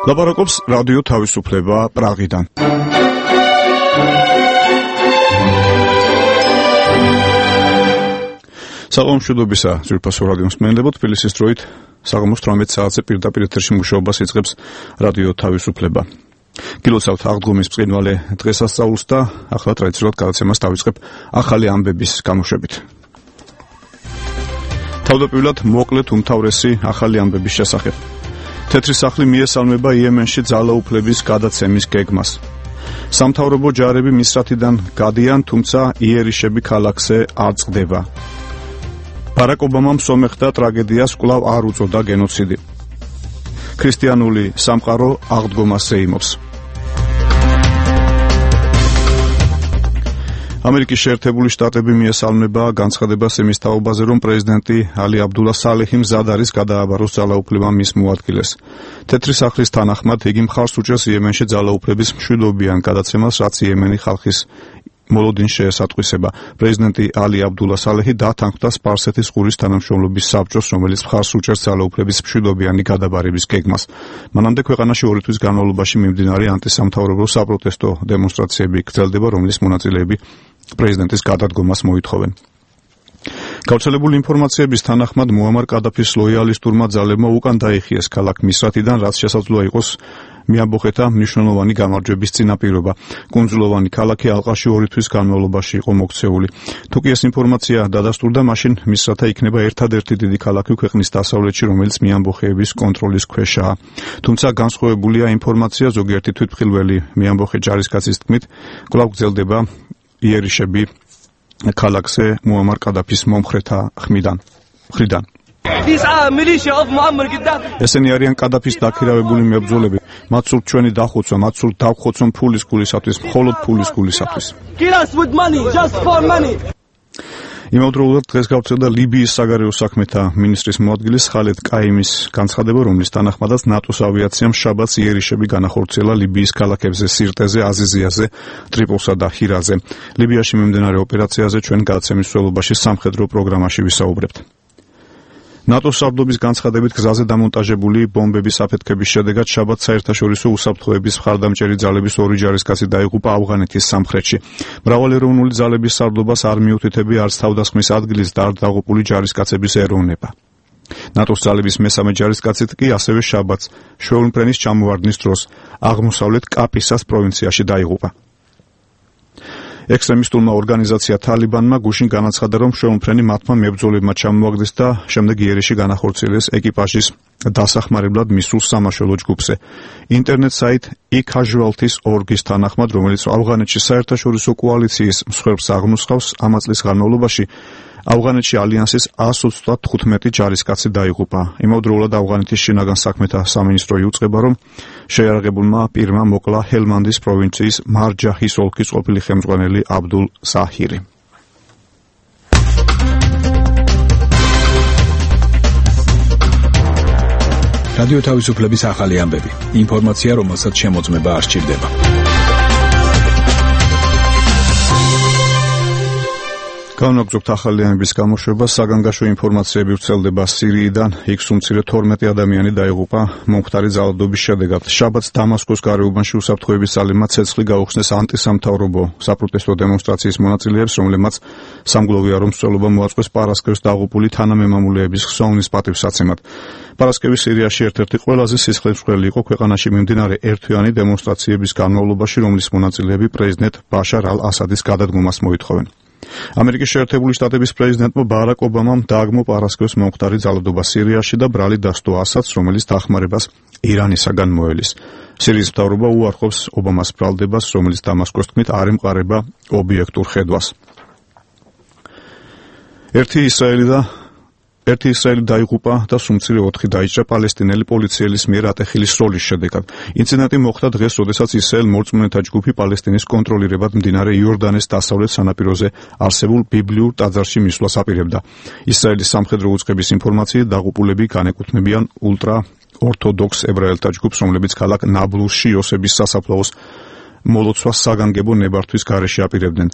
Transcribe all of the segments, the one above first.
ლაპარაკობს რადიო თავისუფლება პრაღიდან. საღამომშვიდობისა ძვირფასო რადიოს მსმენელებო, თბილისის დროით საღამოს 18 საათზე პირდაპირ ეთერში მუშაობას იწყებს რადიო თავისუფლება. გილოცავთ აღდგომის ბრწყინვალე დღესასწაულს და ახლა ტრადიციულად გადაცემას დავიწყებ ახალი ამბების გამოშვებით. თავდაპირველად მოკლედ უმთავრესი ახალი ამბების შესახებ. თეთრი სახლი მიესალმება იემენში ძალაუფლების გადაცემის გეგმას. სამთავრობო ჯარები მისრათიდან გადიან, თუმცა იერიშები ქალაქზე არ წყდება. ბარაკ ობამამ სომეხთა ტრაგედიას კვლავ არ უწოდა გენოციდი. ქრისტიანული სამყარო აღდგომას ეიმობს. ამერიკის შეერთებული შტატები მიესალმება განცხადებას იმის თაობაზე, რომ პრეზიდენტი ალი აბდულა სალეჰი მზად არის გადააბაროს ძალაუფლება მის მოადგილეს. თეთრი სახლის თანახმად იგი მხარს უჭერს იემენში ძალაუფლების მშვიდობიან გადაცემას, რაც იემენი ხალხის მოლოდინს შეესატყვისება. პრეზიდენტი ალი აბდულა სალეჰი დათანხმდა სპარსეთის ყურის თანამშრომლობის საბჭოს, რომელიც მხარს უჭერს ძალაუფლების მშვიდობიანი გადაბარების გეგმას. მანამდე ქვეყანაში 2 თვის განმავლობაში მიმდინარე ანტისამთავრობო საპროტესტო დემონსტრაციები გრძელდება, რომლის მონაწილეები პრეზიდენტის გადადგომას მოითხოვენ. გავრცელებული ინფორმაციების თანახმად მუამარ კადაფის ლოიალისტურმა ძალებმა უკან დაიხიეს ქალაქ მისრათიდან, რაც შესაძლოა იყოს მიამბოხეთა მნიშვნელოვანი გამარჯვების წინაპირობა. კუნძულოვანი ქალაქი ალყაში 2 თვის განმავლობაში იყო მოქცეული. თუ კი ეს ინფორმაცია დადასტურდა, მაშინ მისრათა იქნება ერთადერთი დიდი ქალაქი ქვეყნის დასავლეთში, რომელიც მიამბოხეების კონტროლის ქვეშაა. თუმცა განსხვავებულია ინფორმაცია, ზოგიერთი თვითმხილველი მიამბოხე ჯარისკაცის თქმით, კვლავ გრძელდება იერიშები ქალაქზე მუამარ კადაფის მომხრეთა მხრიდან. ესენი არიან კადაფის დაქირავებული მებრძოლები. მათ სურთ ჩვენი დახოცვა, მათ სურთ დავხოცონ ფულის გულისათვის, მხოლოდ ფულის გულისათვის. იმავდროულად დღეს გავრცელდა ლიბიის საგარეო საქმეთა მინისტრის მოადგილის ხალედ კაიმის განცხადება, რომლის თანახმადაც ნატოს ავიაციამ შაბათს იერიშები განახორციელა ლიბიის ქალაქებზე სირტეზე, აზიზიაზე, ტრიპოლსა და ჰირაზე. ლიბიაში მიმდინარე ოპერაციაზე ჩვენ გადაცემის მსვლელობაში სამხედრო პროგრამაში ვისაუბრებთ. ნატოს სარდლობის განცხადებით გზაზე დამონტაჟებული ბომბების აფეთქების შედეგად შაბათს საერთაშორისო უსაფრთხოების მხარდამჭერი ძალების 2 ჯარისკაცი დაიღუპა ავღანეთის სამხრეთში. მრავალეროვნული ძალების სარდლობას არ მიუთითები არც თავდასხმის ადგილის და არ დაღუპული ჯარისკაცების ეროვნება. ნატოს ძალების მესამე ჯარისკაცით კი ასევე შაბათს შვეულმფრენის ჩამოვარდნის დროს აღმოსავლეთ კაპისას პროვინციაში დაიღუპა. ექსტრემისტულმა ორგანიზაცია თალიბანმა გუშინ განაცხადა, რომ შვეულმფრენი მათმა მებრძოლებმა ჩამოაგდეს და შემდეგ იერიში განახორციელეს ეკიპაჟის დასახმარებლად მისულ სამაშველო ჯგუფზე. ინტერნეტ საიტ e-casualties.org-ის თანახმად, რომელიც ავღანეთში საერთაშორისო კოალიციის მსხვერპლს აღნუსხავს, ამა წლის განმავლობაში ავღანეთში ალიანსის 135 ჯარისკაცი დაიღუპა. იმავდროულად ავღანეთის შინაგან საქმეთა სამინისტრო იუწყება, რომ შეიარაღებულმა პირმა მოკლა ჰელმანდის პროვინციის მარჯაჰის ოლქის ყოფილი ხელმძღვანელი აბდულ ზაჰირი. რადიო თავისუფლების ახალი ამბები. ინფორმაცია, რომელსაც შემოწმება არ სჭირდება. განვაგრძობთ ახალი ამბების გამოშვება. საგანგაშო ინფორმაციები ვრცელდება სირიიდან. იქ სულ 12 ადამიანი დაიღუპა მომხდარი ძალადობის შედეგად. შაბათს დამასკოს გარეუბანში უსაფრთხოების ძალებმა ცეცხლი გაუხსნეს ანტისამთავრობო საპროტესტო დემონსტრაციის მონაწილეებს, რომლებმაც სამგლოვიარო მსვლელობა მოაწყვეს პარასკევს დაღუპული თანამემამულეების ხსოვნის პატივსაცემად. პარასკევი სირიაში ერთ-ერთი ყველაზე სისხლისმღვრელი იყო ქვეყანაში მიმდინარე ერთთვიანი დემონსტრაციების განმავლობაში, რომლის მონაწილეები პრეზიდენტ ბაშარ ალ-ასადის გადადგომას მოითხოვენ. ამერიკის შეერთებული შტატების პრეზიდენტმა ბარაკ ობამამ დააგმო პარასკევს მომხდარი ძალადობა სირიაში და ბრალი დასდო ასადს, რომელიც დახმარებას ირანისაგან მოელის. სირიის მთავრობა უარყოფს ობამას ბრალდებას, რომელიც დამასკოს თქმით არ ემყარება ობიექტურ ხედვას. ერთი ისრაელი დაიღუპა და სულ 4 დაიჭრა პალესტინელი პოლიციელის მიერ ატეხილის სროლის შედეგად. ინციდენტი მოხდა დღეს, როდესაც ისრაელ მორწმუნეთა ჯგუფი პალესტინის კონტროლირებად მდინარე იორდანეს დასავლეთ სანაპიროზე არსებულ ბიბლიურ ტაძარში მისვლას აპირებდა. ისრაელის სამხედრო უწყების ინფორმაციით დაღუპულები განეკუთვნებიან ულტრა ორთოდოქს ებრაელთა ჯგუფს, რომლებიც ქალაქ ნაბლუსში იოსების სასაფლაოს მოლოცვას საგანგებო ნებართვის გარეშე აპირებდნენ.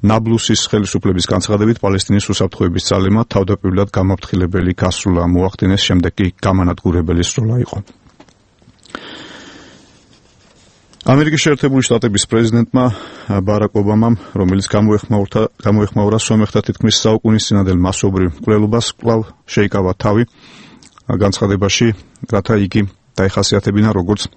ნაბლუსის ხელისუფლების განცხადებით პალესტინის უსაფრთხოების ძალებმა თავდაპირველად გამაფრთხილებელი გასროლა მოახდინეს, შემდეგ კი გამანადგურებელი სროლა იყო. ამერიკის შეერთებული შტატების პრეზიდენტმა ბარაკ ობამამ, რომელიც გამოეხმაურა სომეხთა თითქმის საუკუნისწინადელ მასობრივ მკვლელობას, კვლავ შეიკავა თავი განცხადებაში, რათა იგი დაეხასიათებინა როგორც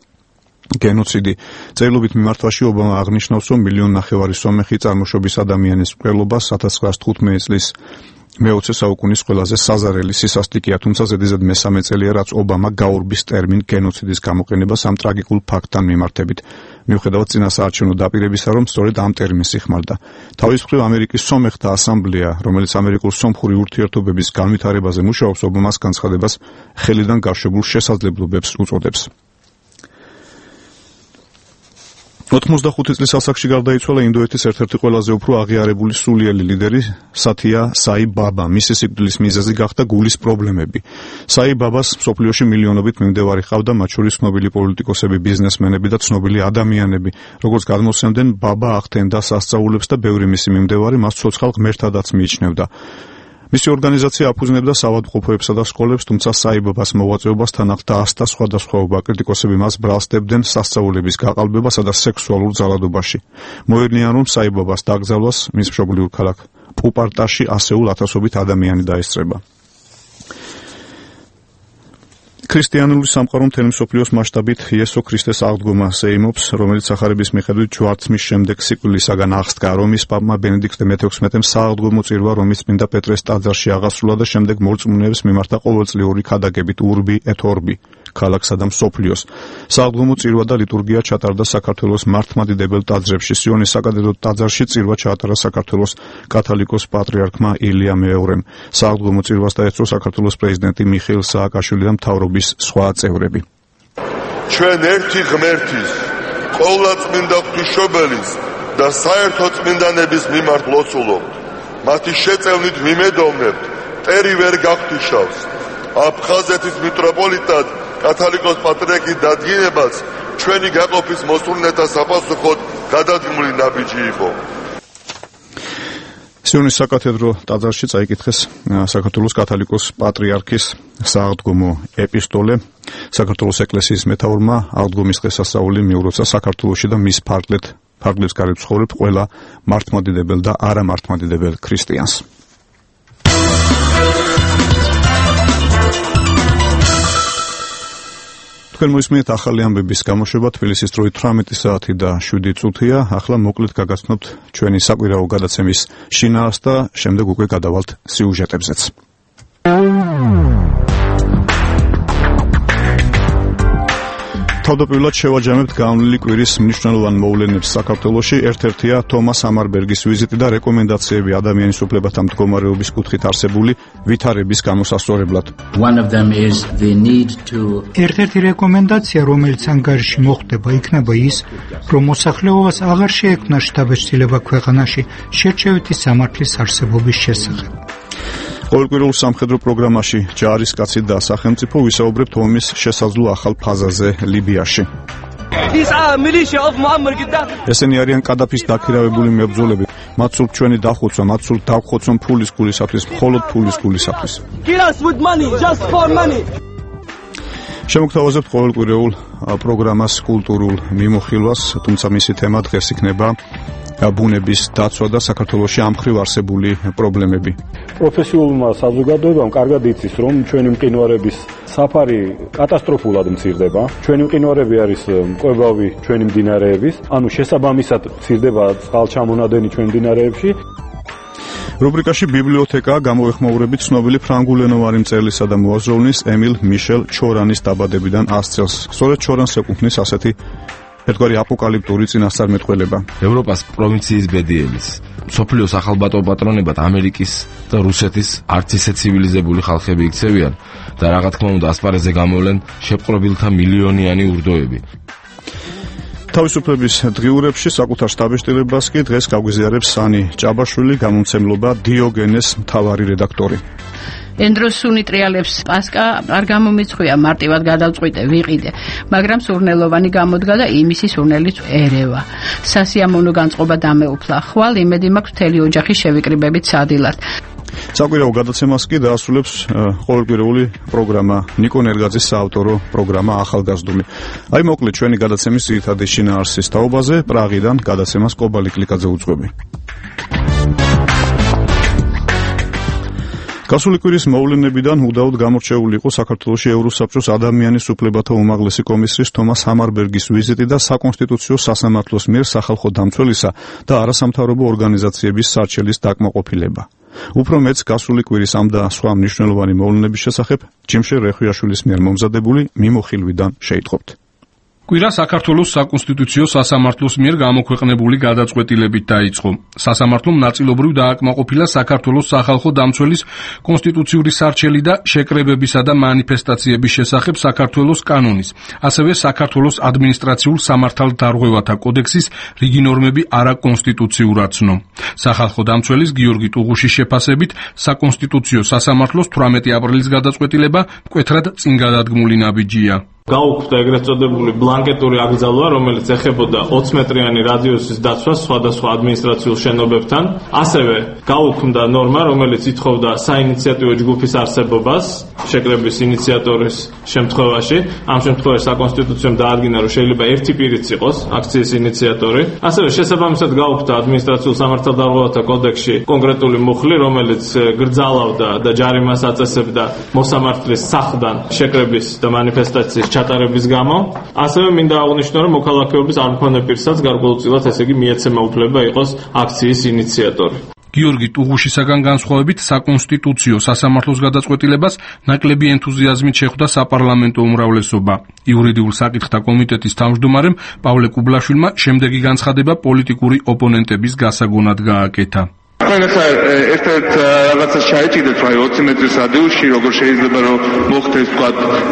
გენოციდი. წერილობით მიმართვაში ობამა აღნიშნავს, რომ 1.5 მილიონი სომეხი წარმოშობის ადამიანის მკვლელობას 1915 წლის მე-20 საუკუნის ყველაზე საზარელი სისასტიკეა, თუმცა ზედიზედ მესამე წელია, რაც ობამა გაურბის ტერმინ გენოციდის გამოყენებას ამ ტრაგიკულ ფაქტთან მიმართებით. მიუხედავად წინასაარჩევნო დაპირებისა, რომ სწორედ ამ ტერმინს იხმარდა. თავის მხრივ ამერიკის სომეხთა ასამბლეა, რომელიც ამერიკულ-სომხური ურთიერთობების განვითარებაზე მუშაობს, ობამას განცხადებას ხელიდან გაშვებულ შესაძლებლობებს უწოდებს. 85 წლის ასაკში გარდაიცვალა ინდოეთის ერთ-ერთი ყველაზე უფრო აღიარებული სულიერი ლიდერი სათია საი ბაბა. მისი სიკვდილის მიზეზი გახდა გულის პრობლემები. საი ბაბას მსოფლიოში მილიონობით მიმდევარი ჰყავდა, მათ შორის ცნობილი პოლიტიკოსები, ბიზნესმენები და ცნობილი ადამიანები. როგორც გადმოსცემდნენ, ბაბა ახდენდა სასწაულებს და ბევრი მისი მიმდევარი მას ცოცხალ ღმერთადაც მიიჩნევდა. მისი ორგანიზაცია აფუძნებდა საავადმყოფოებსა და სკოლებს, თუმცა საიბაბას მოღვაწეობასთან ახლდა 100 და სხვადასხვაობა. კრიტიკოსები მას ბრალსდებდნენ სასწაულების გაყალბებასა და სექსუალურ ძალადობაში. მოედნიან, რომ საიბაბას დაკრძალვას მის მშობლიურ ქალაქ პუპარტაში ასეულ ათასობით ადამიანი დაესწრება. ქრისტიანული სამყარო მთელი მსოფლიოს მასშტაბით იესო ქრისტეს აღდგომას ეიმობს, რომელიც სახარების მიხედვით ჯვარცმის შემდეგ სიკვდილისაგან აღსდგა. რომის პაპმა ბენედიქტე მე-16-მ სააღდგომო წირვა რომის წმინდა პეტრეს ტაძარში აღასრულა და შემდეგ მორწმუნეებს მიმართა ყოველწლიური ქადაგებით ურბი et orbi ქალაქსა და მსოფლიოს. სააღდგომო წირვა და ლიტურგია ჩატარდა საქართველოს მართლმადიდებელ ტაძრებში. სიონის საკათედრო ტაძარში წირვა ჩაატარა საქართველოს კათოლიკოს პატრიარქმა ილია მეორემ. სააღდგომო წირვას დაეწრო საქართველოს პრეზიდენტი მიხეილ სააკაშვილი და მთავრობის სხვა წევრები. ჩვენ ერთი ღმერთის, ყოვლადწმინდა ღვთისმშობელის და საერთო წმინდანების მიმართ ლოცულობთ. მათი შეწევნით ვიმედოვნებთ, მტერი ვერ გაგთიშავს. აფხაზეთის მიტროპოლიტად კათოლიკოს პატრიარქის დადგენებას ჩვენი გაყოფის მოსურნეთა საპასუხოდ გადადგმული ნაბიჯი იყო. სიონის საკათედრო ტაძარში წაიკითხეს საქართველოს კათოლიკოს პატრიარქის სააღდგომო ეპისტოლე. საქართველოს ეკლესიის მეთაურმა აღდგომის დღესასწაული მიუროცა საქართველოში და მის ფარგლებს გარეთ ცხოვრებ ყველა მართლმადიდებელ და არამართლმადიდებელ ქრისტიანს. თქვენ მოისმინეთ ახალი ამბების გამოშვება თბილისის დროით 18 საათი და 7 წუთია. ახლა მოკლედ გაგაცნობთ ჩვენი საკვირაო გადაცემის შინაარსს და შემდეგ უკვე გადავალთ სიუჟეტებზეც. თავდაპირველად შევაჯამებთ განვლილი კვირის მნიშვნელოვან მოვლენებს საქართველოში. ერთ-ერთია თომას ამარბერგის ვიზიტი და რეკომენდაციები ადამიანის უფლებათა მდგომარეობის კუთხით არსებული ვითარების გამოსასწორებლად. ერთ-ერთი რეკომენდაცია, რომელიც ანგარიში მოხდება, იქნება ის, რომ მოსახლეობას აღარ შეექმნა შთაბეჭდილება ქვეყანაში შერჩევითი სამართლის არსებობის შესახებ. ყოველკვირეულ სამხედრო პროგრამაში ჯარისკაცი და სახელმწიფო ვისაუბრებთ ომის შესაძლო ახალ ფაზაზე ლიბიაში. ესენი არიან კადაფის დაქირავებული მებრძოლები. მათ სურთ ჩვენი დახოცვა, მათ სურთ დაგხოცონ ფულის გულისათვის, მხოლოდ ფულის გულისათვის. შემოგთავაზებთ ყოველკვირეულ პროგრამას კულტურულ მიმოხილვას, თუმცა მისი თემა დღეს იქნება ბუნების დაცვა და საქართველოში ამ მხრივ არსებული პრობლემები. პროფესიულმა საზოგადოებამ კარგად იცის, რომ ჩვენი მყინვარების საფარი კატასტროფულად მცირდება. ჩვენი მყინვარები არის მკვებავი ჩვენი მდინარეების, ანუ შესაბამისად მცირდება წყალჩამონადენი ჩვენ მდინარეებში. რუბრიკაში ბიბლიოთეკა გამოეხმაურებით ცნობილი ფრანგულენოვანი მწერლისა და მოაზროვნის ემილ მიშელ ჩორანის დაბადებიდან 100 წელს. სწორედ ჩორანს ეკუთვნის ასეთი ერთგვარი აპოკალიპტური წინასწარმეტყველება. ევროპას პროვინციის ბედიების, მსოფლიოს ახალბატო პატრონებად ამერიკის და რუსეთის არც ისე ცივილიზებული ხალხები იქცევიან და რა თქმა უნდა ასპარეზზე გამოვლენ შეპყრობილთა მილიონიანი ურდოები. თავისუფლების დღიურებში საკუთარ შტაბ-შტილებას კი დღეს გაგვიზიარებს სანი ჭაბაშვილი, გამომცემლობა დიოგენეს მთავარი რედაქტორი. ენდროსუნი ტრიალებს პასკა არ გამომეცხვია, მარტივად გადავწყვიტე, ვიყიდე, მაგრამ სურნელოვანი გამოდგა და იმისი სურნელიც ერევა. სასიამოვნო განწყობა დამეუფლა. ხვალ იმედი მაქვს მთელი ოჯახი შევიკრიბებით სადილად. საკვირაო გადაცემას კი დაასრულებს ყოველკვირეული პროგრამა ნიკო ნერგაძის საავტორო პროგრამა ახალგაზრდული. აი მოკლედ ჩვენი გადაცემის ძირითადი შინაარსის თაობაზე პრაღიდან გადაცემას კობალი კლიკაძე უძღვები. გასული კვირის მოვლენებიდან უდაოდ გამორჩეული იყო საქართველოში ევროსაბჭოს ადამიანის უფლებათა უმაღლესი კომისრის თომას ჰამარბერგის ვიზიტი და საკონსტიტუციო სასამართლოს მიერ სახალხო დამცველისა და არასამთავრობო ორგანიზაციების სარჩელის დაკმაყოფილება. უფრო მეც გასული კვირის ამ და სხვა მნიშვნელოვანი მოვლენების შესახებ ჯიმშე რეხვიაშვილის მიერ მომზადებული მიმოხილვიდან შეიტყობთ. კვირა საქართველოს საკონსტიტუციო სასამართლოს მიერ გამოქვეყნებული გადაწყვეტილებით დაიწყო. სასამართლომ ნაწილობრივ დააკმაყოფილა საქართველოს სახალხო დამცველის კონსტიტუციური სარჩელი და შეკრებებისა და მანიფესტაციების შესახებ საქართველოს კანონის, ასევე საქართველოს ადმინისტრაციულ სამართალდარღვევათა კოდექსის რიგი ნორმები არაკონსტიტუციურად ცნო. სახალხო დამცველის გიორგი ტუღუშის შეფასებით საკონსტიტუციო სასამართლოს 18 აპრილის გადაწყვეტილება მკვეთრად წინ გადადგმული ნაბიჯია. გაუქმდა ეგრეთ წოდებული ბლანკეტური აკრძალვა, რომელიც ეხებოდა 20 მეტრიანი რადიუსის დაცვას სხვადასხვა ადმინისტრაციულ შენობებთან. ასევე გაუქმდა ნორმა, რომელიც ითხოვდა საინიციატივო ჯგუფის არსებობას შეკრების ინიციატორის შემთხვევაში. ამ შემთხვევაში საკონსტიტუციომ დაადგინა, რომ შეიძლება ერთი პირიც იყოს აქციის ინიციატორი. ასევე შესაბამისად გაუქმდა ადმინისტრაციულ სამართალდარღვევათა კოდექსში კონკრეტული მუხლი, რომელიც გრძალავდა და ჯარიმას აწესებდა მოსამართლის სახლიდან შეკრების და მანიფესტაციის ჩატარების გამო. ასევე მინდა აღნიშნო, რომ მოქალაქეობის არ მქონე პირსაც გარკვეულწილად, ესე იგი, მიეცემა უფლება იყოს აქციის ინიციატორი. გიორგი ტუღუშისაგან განსხვავებით საკონსტიტუციო სასამართლოს გადაწყვეტილებას ნაკლები ენთუზიაზმით შეხვდა საპარლამენტო უმრავლესობა. იურიდიულ საკითხთა კომიტეტის თავმჯდომარემ პავლე კუბლაშვილმა შემდეგი განცხადება პოლიტიკური ოპონენტების გასაგონად გააკეთა. Ახლა ერთ რაღაცას ჩაეჭიდეთ, რომ 20 მეტრის რადიუსში როგორ შეიძლება რომ მოხდეს თქვა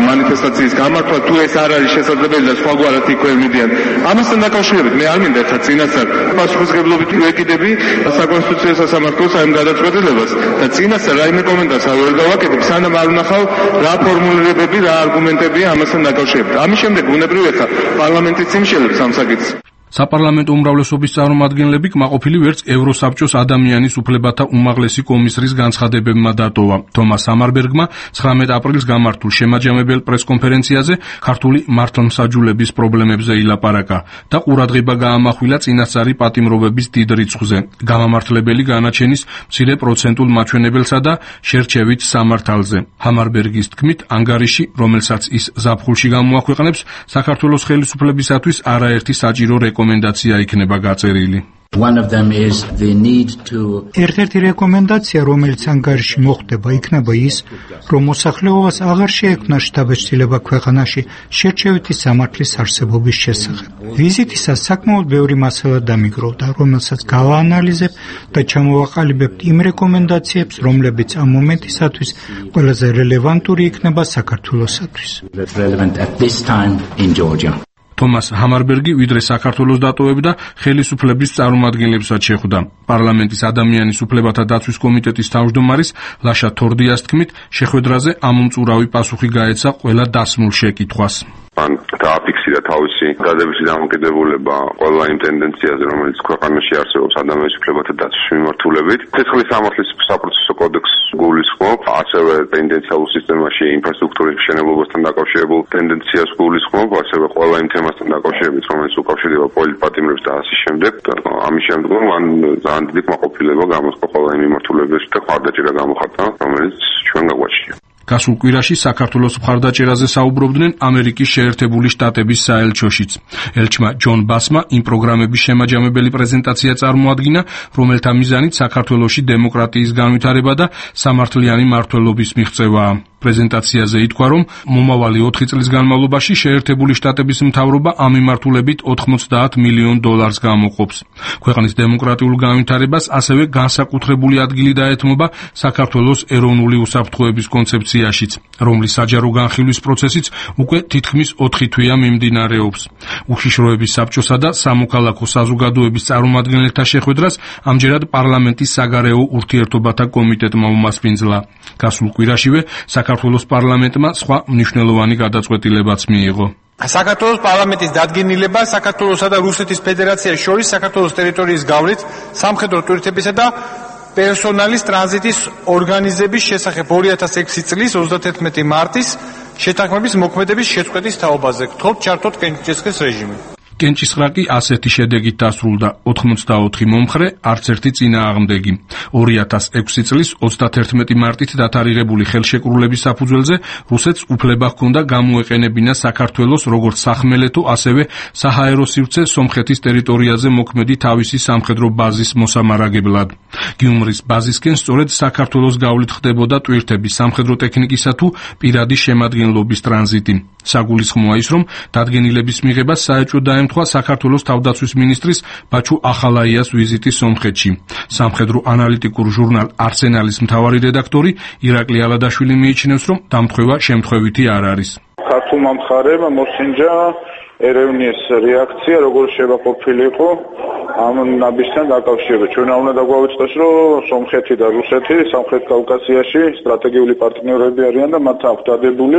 მანიფესტაციის გამართვა, თუ ეს არ არის შესაძლებელი და სხვაგვარად იქვემდიან. ამასთან დაკავშირებით მე არ მინდა ხა წინასწარ პასუხისმგებლობით ვეკიდები საკონსტიტუციო სასამართლოს ამ გადაწყვეტილებას და წინასწარ რაიმე კომენტარს არ დავაკეთებ, სანამ არ ვნახავ რა ფორმულირებები, რა არგუმენტებია ამასთან დაკავშირებით. ამის შემდეგ ბუნებრივია ხა პარლამენტიც იმშელებს ამ საკითხს. საპარლამენტო უმრავლესობის წარმომადგენლები კმაყოფილი ვერც ევროსაბჭოს ადამიანის უფლებათა უმაღლესი კომისრის განცხადებებმა დატოვა. თომას ჰამარბერგმა 19 აპრილს გამართულ შემაჯამებელ პრესკონფერენციაზე ქართული მართლმსაჯულების პრობლემებზე ილაპარაკა და ყურადღება გაამახვილა წინასწარი პატიმრობების დიდ რიცხვზე, გამამართლებელი განაჩენის მცირე პროცენტულ მაჩვენებელსა და შერჩევით სამართალზე. ჰამარბერგის თქმით, ანგარიში, რომელსაც ის ზაფხულში გამოაქვეყნებს, საქართველოს ხელისუფლებისათვის არაერთი საჭირო რეკომენდაცია იქნება გაწერილი. ერთ-ერთი რეკომენდაცია, რომელიც ანგარიში მოხდება, იქნება ის, რომ მოსახლეობას აღარ შეექმნა შთაბეჭდილება ქვეყანაში შერჩევითი სამართლის არსებობის შესახებ. ვიზიტისას საკმაოდ ბევრი მასალა დამიგროვდა, რომელსაც გავაანალიზებ და ჩამოვაყალიბებთ იმ რეკომენდაციებს, რომლებიც ამ მომენტისათვის ყველაზე რელევანტური იქნება საქართველოსათვის. თომას ჰამარბერგი ვიდრე საქართველოს დატოვებდა, ხელისუფლების წარმომადგენლებსაც შეხვდა. პარლამენტის ადამიანის უფლებათა დაცვის კომიტეტის თავმჯდომარის ლაშა თორდიას თქმით, შეხვედრაზე ამომწურავი პასუხი გაეცა ყველა დასმულ შეკითხვას. ან დააფიქსირა თავისი დადებითი დამოკიდებულება ყველა იმ ტენდენციაზე, რომელიც ქვეყანაში არსებობს ადამიანის უფლებათა დაცვის მიმართულებით. ცეცხლის სამართლის საპროცესო კოდექსს გულისხმობ, ასევე პენდენციალურ სისტემაში ინფრასტრუქტურის მშენებლობასთან დაკავშირებულ ტენდენციას გულისხმობ, ასევე ყველა იმ თემასთან დაკავშირებით, რომელიც უკავშირდება პოლიტპატიმრებს და ასე შემდეგ. ამის შემდგომ მან ძალიან დიდი კმაყოფილება გამოხდა ყველა იმ მიმართულებაში და ხარდაჭერა გამოხატა, რომელიც ჩვენ გაგვაჩნია. გასულ კვირაში საქართველოს მხარდაჭერაზე საუბრობდნენ ამერიკის შეერთებული შტატების საელჩოშიც. ელჩმა ჯონ ბასმა იმ პროგრამების შემაჯამებელი პრეზენტაცია წარმოადგინა, რომელთა მიზანით საქართველოში დემოკრატიის განვითარება და სამართლიანი მმართველობის მიღწევაა. პრეზენტაციაზე ითქვა, რომ მომავალი 4 წლის განმავლობაში შეერთებული შტატების მთავრობა ამ მიმართულებით $90 მილიონ გამოყოფს. ქვეყნის დემოკრატიულ განვითარებას ასევე განსაკუთრებული ადგილი დაეთმობა საქართველოს ეროვნული უსაფრთხოების კონცეფციაშიც, რომლის საჯარო განხილვის პროცესიც უკვე თითქმის 4 თვეა მიმდინარეობს. უშიშროების საბჭოსა და სამოქალაქო საზოგადოების წარმომადგენელთა შეხვედრას ამჯერად პარლამენტის საგარეო ურთიერთობათა კომიტეტმა უმასპინძლა. გასულ კვირაშივე საქართველოს პარლამენტმა სხვა მნიშვნელოვანი გადაწყვეტილებაც მიიღო. საქართველოს პარლამენტის დადგენილება საქართველოსა და რუსეთის ფედერაციას შორის საქართველოს ტერიტორიის გავლით სამხედრო ტვირთებისა და პერსონალის ტრანზიტის ორგანიზების შესახებ 2006 წლის 31 მარტის შეთანხმების მოქმედების შეწყვეტის თაობაზე. გთხოვთ ჩართოთ კენჭისყრის რეჟიმი. კენჭისყრა კი ასეთი შედეგით დასრულდა 84 მომხრე, არც ერთი წინააღმდეგი. 2006 წლის 31 მარტით დათარიღებული ხელშეკრულების საფუძველზე რუსეთს უფლება ჰქონდა გამოეყენებინა საქართველოს როგორც სახმელეთო, ასევე საჰაერო სივრცე სომხეთის ტერიტორიაზე მოქმედი თავისი სამხედრო ბაზის მოსამარაგებლად. გიუმრის ბაზისკენ სწორედ საქართველოს გავლით ხდებოდა ტვირთების სამხედრო ტექნიკისა თუ პირადი შემადგენლობის ტრანზიტი. საგულისხმოა ის, რომ დადგენილების მიღებას საეჭვო დაემთხვა საქართველოს თავდაცვის მინისტრის ბაჩუ ახალაიას ვიზიტი სომხეთში. სამხედრო ანალიტიკურ ჟურნალ არსენალის მთავარი რედაქტორი ირაკლი ალადაშვილი მიიჩნევს, რომ დამთხევა შემთხვევითი არ არის. ქართულმა მხარემ მოსინჯა ერევნის რეაქცია როგორ შევაყოფილიყო ამ ნაბისთან დაკავშირებით. ჩვენ უნდა დაგვავიწყდეს, რომ სომხეთი და რუსეთი სამხრეთ კავკასიაში სტრატეგიული პარტნიორები არიან და მათ აქვს დადებული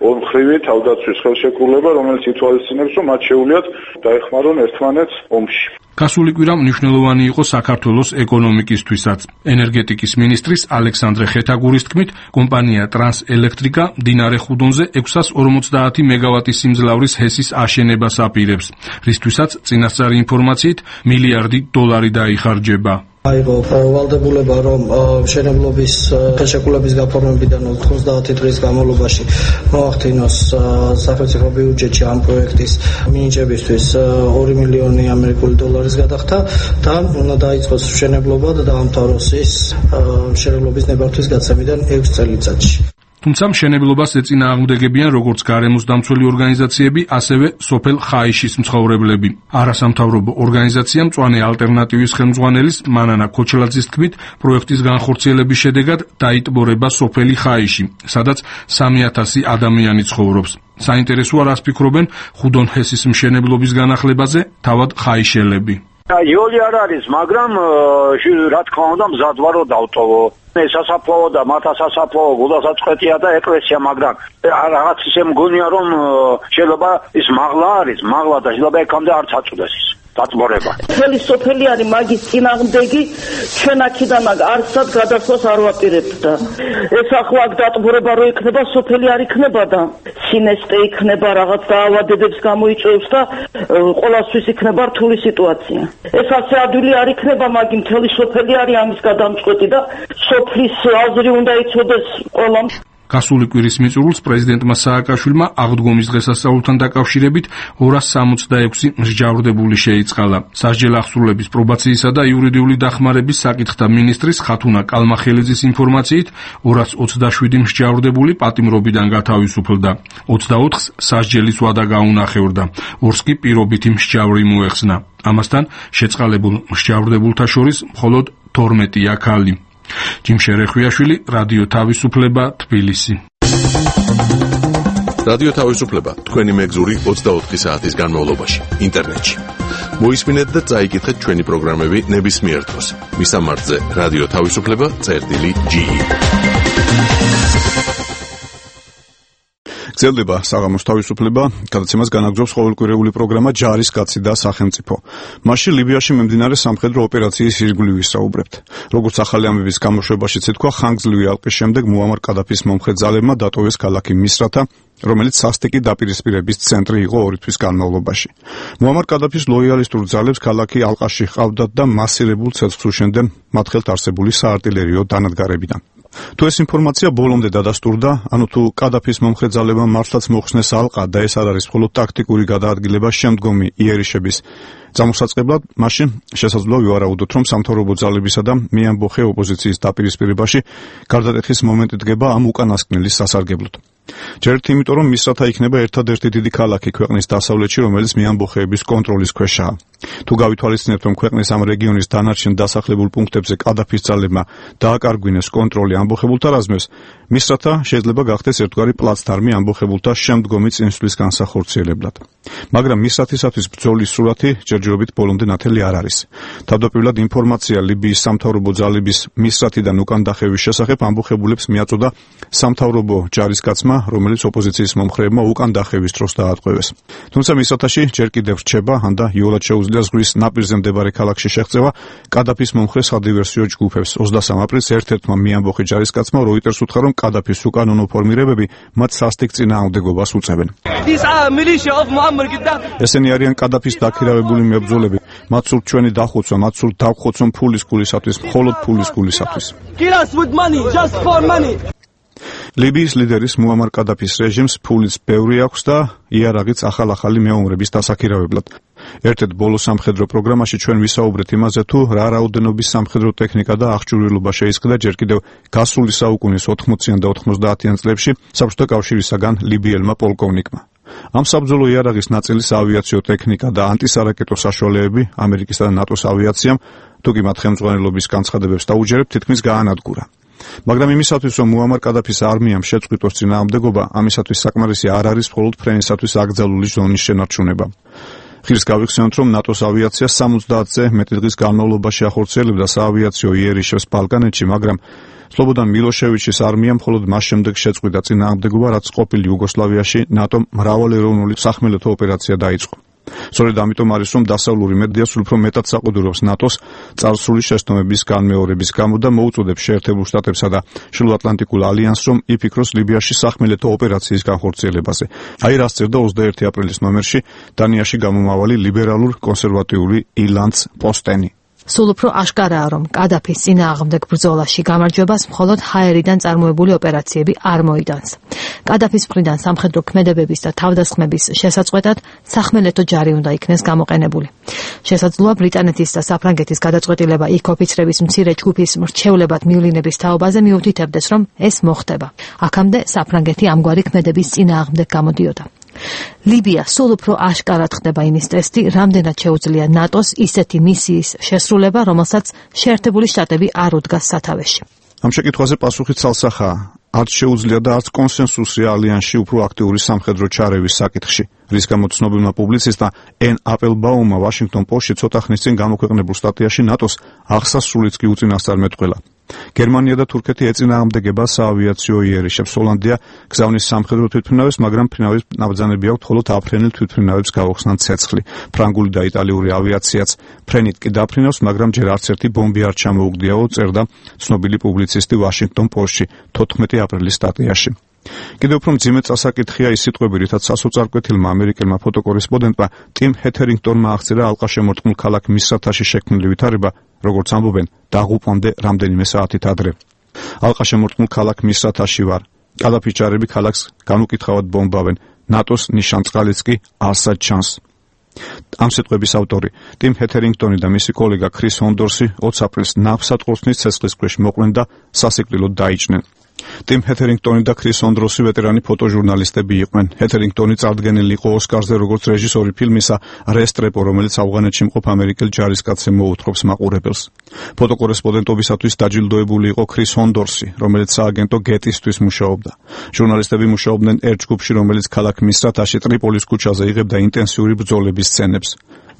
ორმხრივი თავდაცვის ხელშეკრულება, რომელიც ითვალისწინებს, რომ მათ შეუძლიათ დაეხმარონ ერთმანეთს ომში. გასული კვირა მნიშვნელოვანი იყო საქართველოს ეკონომიკისთვისაც. ენერგეტიკის მინისტრის ალექსანდრე ხეთაგურის თქმით, კომპანია ტრანსელექტრიკა მდინარე ხუდონზე 650 მეგავატის სიმძლავრის ჰესის აშენებას აპირებს, რისთვისაც წინასწარი ინფორმაციით $1 მილიარდი დაიხარჯება. აიღო ვალდებულება, რომ მშენებლობის ხელშეკრულების გაფორმებიდან 90 დღის განმავლობაში მოახდინოს სახელმწიფო ბიუჯეტში ამ პროექტის მინიჭებისთვის $2 მილიონი გადახდა და უნდა დაიწყოს მშენებლობა და დაამთავროს ის მშენებლობის ნებართვის გაცემიდან 6 წელიწადში. თუმცა მშენებლობას ეწინააღმდეგებიან როგორც გარემოს დამცველი ორგანიზაციები, ასევე სოფელ ხაიშის მცხოვრებლები. არასამთავრობო ორგანიზაცია მწვანე ალტერნატივის ხელმძღვანელის მანანა ქოჩლაძის თქმით, პროექტის განხორციელების შედეგად დაიტბორება სოფელი ხაიში, სადაც 3000 ადამიანი ცხოვრობს. საინტერესოა, რას ფიქრობენ ხუდონ ჰესის მშენებლობის განახლებაზე თავად ხაიშელები. იოლი არ არის, მაგრამ რა თქმა უნდა მზად ვარ რომ დავტოვო. სასაფლაო და მათა სასაფლაო გულდასაწყვეტია და ეკლესია, მაგრამ რაღაც ისე მგონია რომ შეიძლება ის მაღლა არის, მაღლა და შეიძლება ეკამდე არ წაწუდეს ის დაწმორება. მთელი სოფელი არის მაგის წინააღმდეგი, ჩვენ აქედან არცად გადასვლას არ ვაპირებთ და ეს ახლა აქ დაწმორება რო იქნება, სოფელი არ იქნება და სინესტე იქნება, რაღაც დაავადებებს გამოიწვევს და ყოველთვის იქნება რთული სიტუაცია. ეს ასე ადვილი არ იქნება, მაგრამ მთელი სოფელი არის ამის გადამწყვეტი და სოფლის აზრი უნდა იცოდეს ყველამ. გასული კვირის მიწურულს პრეზიდენტმა სააკაშვილმა აღდგომის დღესასწაულთან დაკავშირებით 266 მსჯავრდებული შეიწყალა. სასჯელ აღსრულების პრობაციისა და იურიდიული დახმარების საკითხთა მინისტრის ხათუნა კალმახელიძის ინფორმაციით 227 მსჯავრდებული პატიმრობიდან გათავისუფლდა. 24-ს სასჯელის ვადა გაუნახევრდა. 2-ს კი პირობითი მსჯავრი მოეხსნა. ამასთან შეწყალებულ მსჯავრდებულთა შორის მხოლოდ 12-ია ქალი. ჯიმშერე ხვიაშვილი, რადიო თავისუფლება, თბილისი. რადიო თავისუფლება, თქვენი მეგზური 24 საათის განმავლობაში, ინტერნეტში. მოისმინეთ და წაიკითხეთ ჩვენი პროგრამები ნებისმიერ დროს. მისამართზე რადიო თავისუფლება.ge. გრძელდება საღამოს თავისუფლება, გადაცემას განაგრძობს ყოველკვირეული პროგრამა ჯარის კაცი და სახელმწიფო. მასში ლიბიაში მიმდინარე სამხედრო ოპერაციის ირგვლივ ვისაუბრებთ. როგორც ახალი ამბების გამოშვებაშიც ეთქვა, ხანგრძლივი ალყის შემდეგ მუამარ კადაფის მომხრე ძალებმა დატოვეს ქალაქი მისრათა, რომელიც სასტიკი დაპირისპირების ცენტრი იყო 2 თვის განმავლობაში. მუამარ კადაფის ლოიალისტურ ძალებს ქალაქი ალყაში ჰყავდათ და მასირებულ ცეცხლს უშენდნენ მათ ხელთ არსებული საარტილერიო დანადგარებიდან. თუ ეს ინფორმაცია ბოლომდე დადასტურდა, ანუ თუ კადაფის მომხრე ძალებმა მართლაც მოხსნეს ალყა და ეს არ არის მხოლოდ ტაქტიკური გადაადგილება შემდგომი იერიშების გამოსაწყებლად, მაშინ შესაძლოა ვივარაუდოთ, რომ სამთავრობო ძალებისა და მეამბოხე ოპოზიციის დაპირისპირებაში გარდატეხის მომენტი დგება ამ უკანასკნელის სასარგებლოდ. ჯერ იმიტომ, რომ მისრათა იქნება ერთადერთი დიდი ქალაქი ქვეყნის დასავლეთში, რომელიც მეამბოხეების კონტროლის ქვეშაა. თუ გავითვალისწინებთ, რომ ქვეყნის ამ რეგიონის დანარჩენ დასახლებულ პუნქტებზე კადაფის ძალებმა დააკარგვინეს კონტროლი ამბოხებულთა რაზმებს, მისრათა შეიძლება გახდეს ერთგვარი პლაცდარმი ამბოხებულთა შემდგომი წინსვლის განსახორციელებლად. მაგრამ მისრათისათვის ბრძოლის სურათი ჯერ ჯერჯერობით ბოლომდე ნათელი არ არის. თავდაპირველად ინფორმაცია ლიბიის სამთავრობო ძალების მისრათიდან უკან დახევის შესახებ ამბოხებულებს მიაწოდა სამთავრობო ჯარისკაცმა, რომელიც ოპოზიციის მომხრეებმა უკან დახევის დროს დაატყვევეს. თუმცა მისრათაში ჯერ კიდევ რჩება, ანდა იოლად შეუძლია ზღვის ნაპირზე მდებარე ქალაქში შეღწევა კადაფის მომხრე სადივერსიო ჯგუფებს. 23 აპრილს ერთ-ერთმა მიამბოხი ჯარისკაცმა როიტერს უთხრა, რომ კადაფის უკანონო ფორმირებები მათ სასტიკ წინააღმდეგობას უწევენ. ესენი არიან კადაფის დაქირავებული მებრძოლები. მათ სურთ ჩვენი დახოცვა, მათ სურთ დავხოცონ ფულის გულისათვის, მხოლოდ ფულის გულისათვის. ლიბიის ლიდერის მუამარ კადაფის რეჟიმს ფულიც ბევრი აქვს და იარაღიც ახალ-ახალი მეომრების დასაქირავებლად. ერთ-ერთ ბოლო სამხედრო პროგრამაში ჩვენ ვისაუბრეთ იმაზე, თუ რა რაოდენობის სამხედრო ტექნიკა და აღჭურვილობა შეისყიდა ჯერ კიდევ გასული საუკუნის 80-იან და 90-იან წლებში საბჭოთა კავშირისაგან ლიბიელმა პოლკოვნიკმა. ამ საბრძოლო იარაღის ნაწილის ავიაციო ტექნიკა და ანტისარაკეტო საშუალებები ამერიკისა და ნატოს ავიაციამ, თუ კი მათ ხელმძღვანელობის განცხადებებს დაუჯერებთ, თითქმის გაანადგურა. მაგრამ იმისათვის, რომ მუამარ კადაფის არმიამ შეწყვიტოს წინააღმდეგობა, ამისათვის საკმარისი არ არის მხოლოდ ფრენისათვის აკრძალული ზონის შენარჩუნება. ხირს გავიხსენოთ, რომ ნატოს ავიაცია 70-ზე მეტი დღის განმავლობაში ახორციელებდა საავიაციო იერიშებს ბალკანეთში, მაგრამ სლობოდან მილოშევიჩის არმიამ მხოლოდ მას შემდეგ შეწყვიტა წინააღმდეგობა, რაც ყოფილი იუგოსლავიაში ნატომ მრავალეროვნული სახმელეთო ოპერაცია დაიწყო. სწორედ ამიტომ არის, რომ დასავლური მედიას უფრო მეტად საყუდურობს ნატოს წარსული შეცდომების განმეორების გამო და მოუწოდებს შეერთებულ შტატებსა და შილოატლანტიკულ ალიანსს, რომ იფიქროს ლიბიაში სახმელეთო ოპერაციის განხორციელებაზე. აი რას წერდა 21 აპრილის ნომერში დანიაში გამომავალი ლიბერალურ კონსერვატიული ილანც პოსტენი. სულ უფრო აშკარაა, რომ კადაფის წინააღმდეგ ბრძოლაში გამარჯვებას მხოლოდ ჰაერიდან წარმოებული ოპერაციები არ მოიტანს. კადაფის მხრიდან სამხედრო ქმედებების და თავდასხმების შესაწყვეტად სახმელეთო ჯარი უნდა იქნეს გამოყენებული. შესაძლოა ბრიტანეთის და საფრანგეთის გადაწყვეტილება იქ ოფიცრების მცირე ჯგუფის მრჩევლებად მივლინების თაობაზე მიუთითებდეს, რომ ეს მოხდება. აქამდე საფრანგეთი ამგვარი ქმედების წინააღმდეგ გამოდიოდა. ლიბია სულ უფრო აშკარად ხდება იმის ტესტი, რამდენად შეუძლია ნატოს ისეთი მისიის შესრულება, რომელსაც შეერთებული შტატები არ უდგას სათავეში. ამ შეკითხვაზე პასუხი ცალსახაა. არც შეუძლია და არც კონსენსუსია ალიანსში უფრო აქტიური სამხედრო ჩარევის საკითხში, რის გამოც ცნობილმა პუბლიცისტმა ენ აპელბაუმმა ვაშინგტონ პოსტში ცოტა ხნის წინ გამოქვეყნებულ სტატიაში ნატოს აღსასრულიც კი უწინასწარ მეტყველა. გერმანია და თურქეთი ეწინააღმდეგება საავიაციო იერიშებს. ჰოლანდია გზავნის სამხედრო თვითმფრინავებს, მაგრამ ფრინავის ნაბრძანები აქვთ მხოლოდ აფრენილ თვითმფრინავებს გავხსნან ცეცხლი. ფრანგული და იტალიური ავიაციაც ფრენით კი დაფრინავს, მაგრამ ჯერ არც ერთი ბომბი არ ჩამოუგდიაო, წერდა ცნობილი პუბლიცისტი ვაშინგტონ პოსტში 14 აპრილის სტატიაში. კიდევ უფრო მძიმე წასაკითხია ის სიტყვები, რითაც სასოწარკვეთილმა ამერიკელმა ფოტოკორესპონდენტმა ტიმ ჰეთერინგტონმა აღწერა ალყაშემორტყმულ ქალაქ მისრათაში შექმნილი ვითარება, როგორც ამბობენ, დაღუპვამდე რამდენიმე საათით ადრე. ალყაშემორტყმულ ქალაქ მისრათაში ვარ. კადაფის ჯარები ქალაქს განუკითხავად ბომბავენ. ნატოს ნიშანწყალიც კი არსად ჩანს. ამ სიტყვების ავტორი ტიმ ჰეთერინგტონი და მისი კოლეგა ქრის ჰონდორსი 20 აპრილს ნავსატყურძნის ცეცხლის ქვეშ მოყვნენ და სასიკვდილოდ დაიჭნენ. ტიმ ჰეთერინგტონი და ქრის ჰონდორსი ვეტერანი ფოტოჟურნალისტები იყვნენ. ჰეთერინგტონი წარდგენილი იყო ოსკარზე როგორც რეჟისორი ფილმისა რესტრეპო, რომელიც ავღანეთში მყოფ ამერიკელ ჯარისკაცზე მოუთხრობს მაყურებელს. ფოტოკორესპონდენტობისათვის დაჯილდოებული იყო ქრის ჰონდორსი, რომელიც სააგენტო გეტისთვის მუშაობდა. ჟურნალისტები მუშაობდნენ ერთ ჯგუფში, რომელიც ქალაქ მისრათაში ტრიპოლის ქუჩაზე იღებდა ინტენსიური ბრძოლების სცენებს.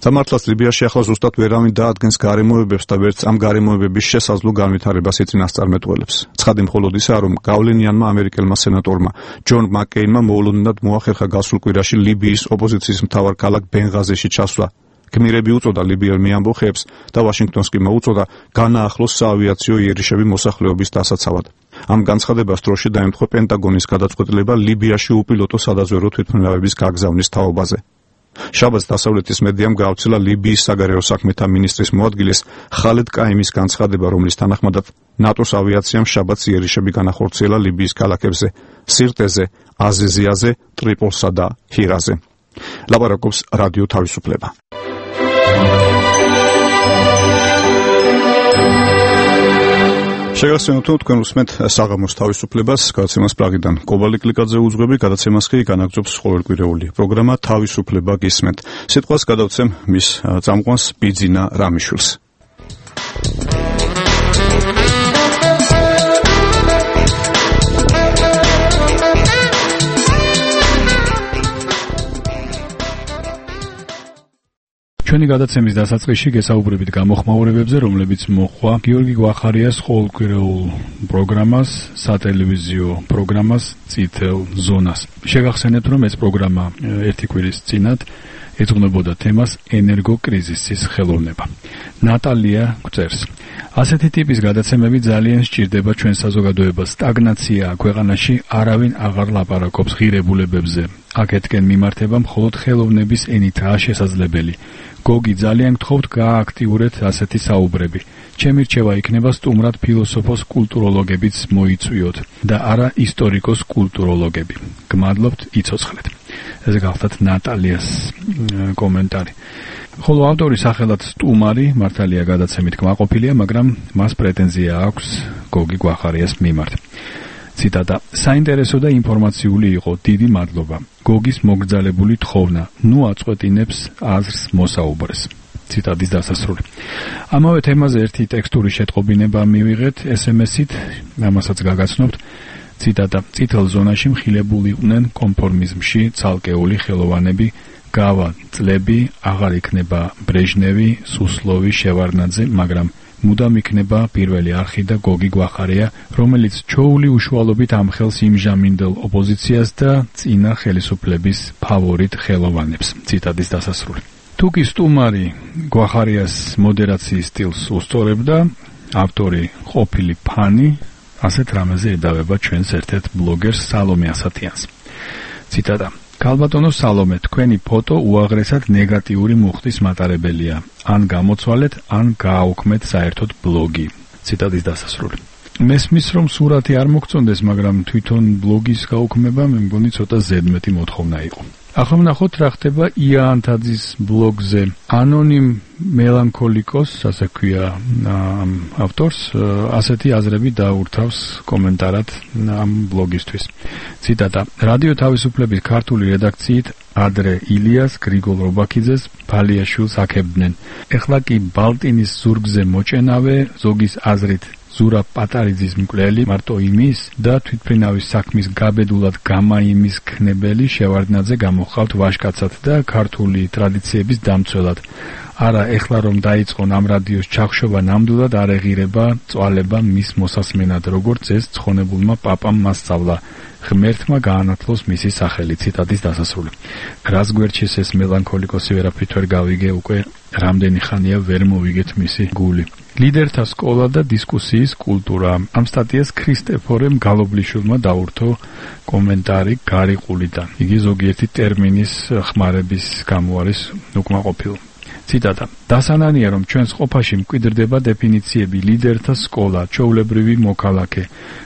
სამართლაც ლიბიაში ახლა ზუსტად ვერავინ დაადგენს გარემოებებს და ვერც ამ გარემოებების შესაძლო განვითარებას იწინასწარმეტყველებს. ცხადი მხოლოდ ისაა, რომ გავლენიანმა ამერიკელმა სენატორმა ჯონ მაკკეინმა მოულოდნელად მოახერხა გასულ კვირაში ლიბიის ოპოზიციის მთავარ ქალაქ ბენღაზიში ჩასვლა. გმირები უწოდა ლიბიელ მიამბოხეებს და ვაშინგტონს კი მოუწოდა განაახლოს საავიაციო იერიშები მოსახლეობის დასაცავად. ამ განცხადებას დროში დაემთხვა პენტაგონის გადაწყვეტილება ლიბიაში უპილოტო სადაზვერვო თვითმფრინავების გაგზავნის თაობაზე. შაბათს დასავლეთის მედიამ გაავრცელა ლიბიის საგარეო საქმეთა მინისტრის მოადგილეს ხალედ კაიმის განცხადება, რომლის თანახმადაც ნატოს ავიაციამ შაბათს იერიშები განახორციელა ლიბიის ქალაქებზე სირტეზე, აზეზიაზე, ტრიპოლსა და ჰირაზე. ლაპარაკობს რადიო თავისუფლება. შეგახსენოთ, რომ თქვენ უსმენთ საღამოს თავისუფლებას, გადაცემას პრაღიდან კობალი კლიკაძე უძღვები, გადაცემას კი განაგრძობს ყოველკვირეული პროგრამა თავისუფლება გისმენთ. სიტყვას გადავცემ მის წამყვანს ბიძინა რამიშვილს. ჩვენი გადაცემის დასაწყისში გესაუბრებით გამოხმაურებებზე, რომლებიც მოჰყვა გიორგი გვახარიას ყოველკვირეულ პროგრამას, სატელევიზიო პროგრამას წითელ ზონას. შეგახსენებთ, რომ ეს პროგრამა ერთი კვირის წინათ ეძღვნებოდა თემას ენერგოკრიზისის ხელოვნება. ნატალია გვწერს: ასეთი ტიპის გადაცემები ძალიან სჭირდება ჩვენ საზოგადოებას. სტაგნაციაა ქვეყანაში, არავინ აღარ ლაპარაკობს ღირებულებებზე. აქეთკენ მიმართება მხოლოდ ხელოვნების ენითაა შესაძლებელი. გოგი, ძალიან გთხოვთ გააქტიურეთ ასეთი საუბრები. ჩემი რჩევა იქნება სტუმრად ფილოსოფოს კულტუროლოგებიც მოიწვიოთ და არა ისტორიკოს კულტუროლოგები. გმადლობთ, იცოცხლეთ. ეს გახლდათ ნატალიას კომენტარი. ხოლო ავტორი სახელად სტუმარი მართალია გადაცემით კმაყოფილია, მაგრამ მას პრეტენზია აქვს გოგი გვახარიას მიმართ. ციტატა: საინტერესო და ინფორმაციული იყო, დიდი მადლობა. გოგის მოგრძალებული თხოვნა, ნუ აწყვეტინებს აზრს მოსაუბრეს. ციტატის დასასრული. ამავე თემაზე ერთი ტექსტური შეტყობინება მივიღეთ SMS-ით, ამასაც გაგაცნობთ. ციტატა: წითელ ზონაში მხილებულიყვნენ კონფორმიზმში ცალკეული ხელოვანები, გავა წლები, აღარ იქნება ბრეჟნევი, სუსლოვი, შევარდნაძე, მაგრამ მუდამ იქნება პირველი არხი და გოგი გვახარია, რომელიც ჩოული უშუალობით ამხელს იმჟამინდელ ოპოზიციას და წინა ხელისუფლების ფავორიტ ხელოვანებს. ციტატის დასასრული. თუკი სტუმარი გვახარიას მოდერაციის სტილს უსწორებდა, ავტორი ყოფილი ფანი ასეთ რამეზე ედავება ჩვენს ერთ-ერთ ბლოგერს სალომე ასათიანს. ციტატა: ქალბატონო სალომე, თქვენი ფოტო უაღრესად ნეგატიური მუხტის მატარებელია. ან გამოცვალეთ, ან გააუქმეთ საერთოდ ბლოგი. ციტატის დასასრული. მესმის რომ სურათი არ მოგწონდეს, მაგრამ თვითონ ბლოგის გაუქმება მე მგონი ცოტა ზედმეტი მოთხოვნა იყო. ახლა ვნახოთ რა ხდება იანთაძის ბლოგზე. ანონიმ მელანქოლიკოს, ასე ქვია ავტორს, ასეთი აზრები დაურთავს კომენტარად ამ ბლოგისთვის. ციტატა: რადიო თავისუფლების ქართული რედაქციით ადრე ილიას, გრიგოლ რობაქიძეს, ფალიაშვილს აქებდნენ. ეხლა კი ბალტინის ზურგზე მოჭენავე, ზოგის აზრით ზურაბ პატარიძის მკვლელი, მარტო იმის და თვითმფრინავის საქმის გაბედულად გამაიმის ქნებელი შევარდნაძე გამოხავთ ვაჟკაცად და ქართული ტრადიციების დამცველად. არა, ეხლა რომ დაიწყონ ამ რადიოს ჩახშობა, ნამდვილად არ ეღირება წვალება მის მოსასმენად, როგორც ეს ცხონებულმა პაპამ მასწავლა. ღმერთმა გაანათლოს მისი სახელი. ციტატის დასასრული. რას გვერჩის ეს მელანქოლიკოსი, ვერაფრით ვერ გავიგე, უკვე რამდენი ხანია ვერ მოვიგეთ მისი გული. ლიდერთა სკოლა და დისკუსიის კულტურა. ამ სტატიას ქრისტეფორემ გალობლიშვილმა დაურთო კომენტარი გარიყულიდან. იგი ზოგიერთი ტერმინის ხმარების გამო არის უკმაყოფილო. ციტატა: დასანანია რომ ჩვენს ყოფაში მკვიდრდება დეფინიციები ლიდერთა სკოლა, ჩვეულებრივი მოქალაქე,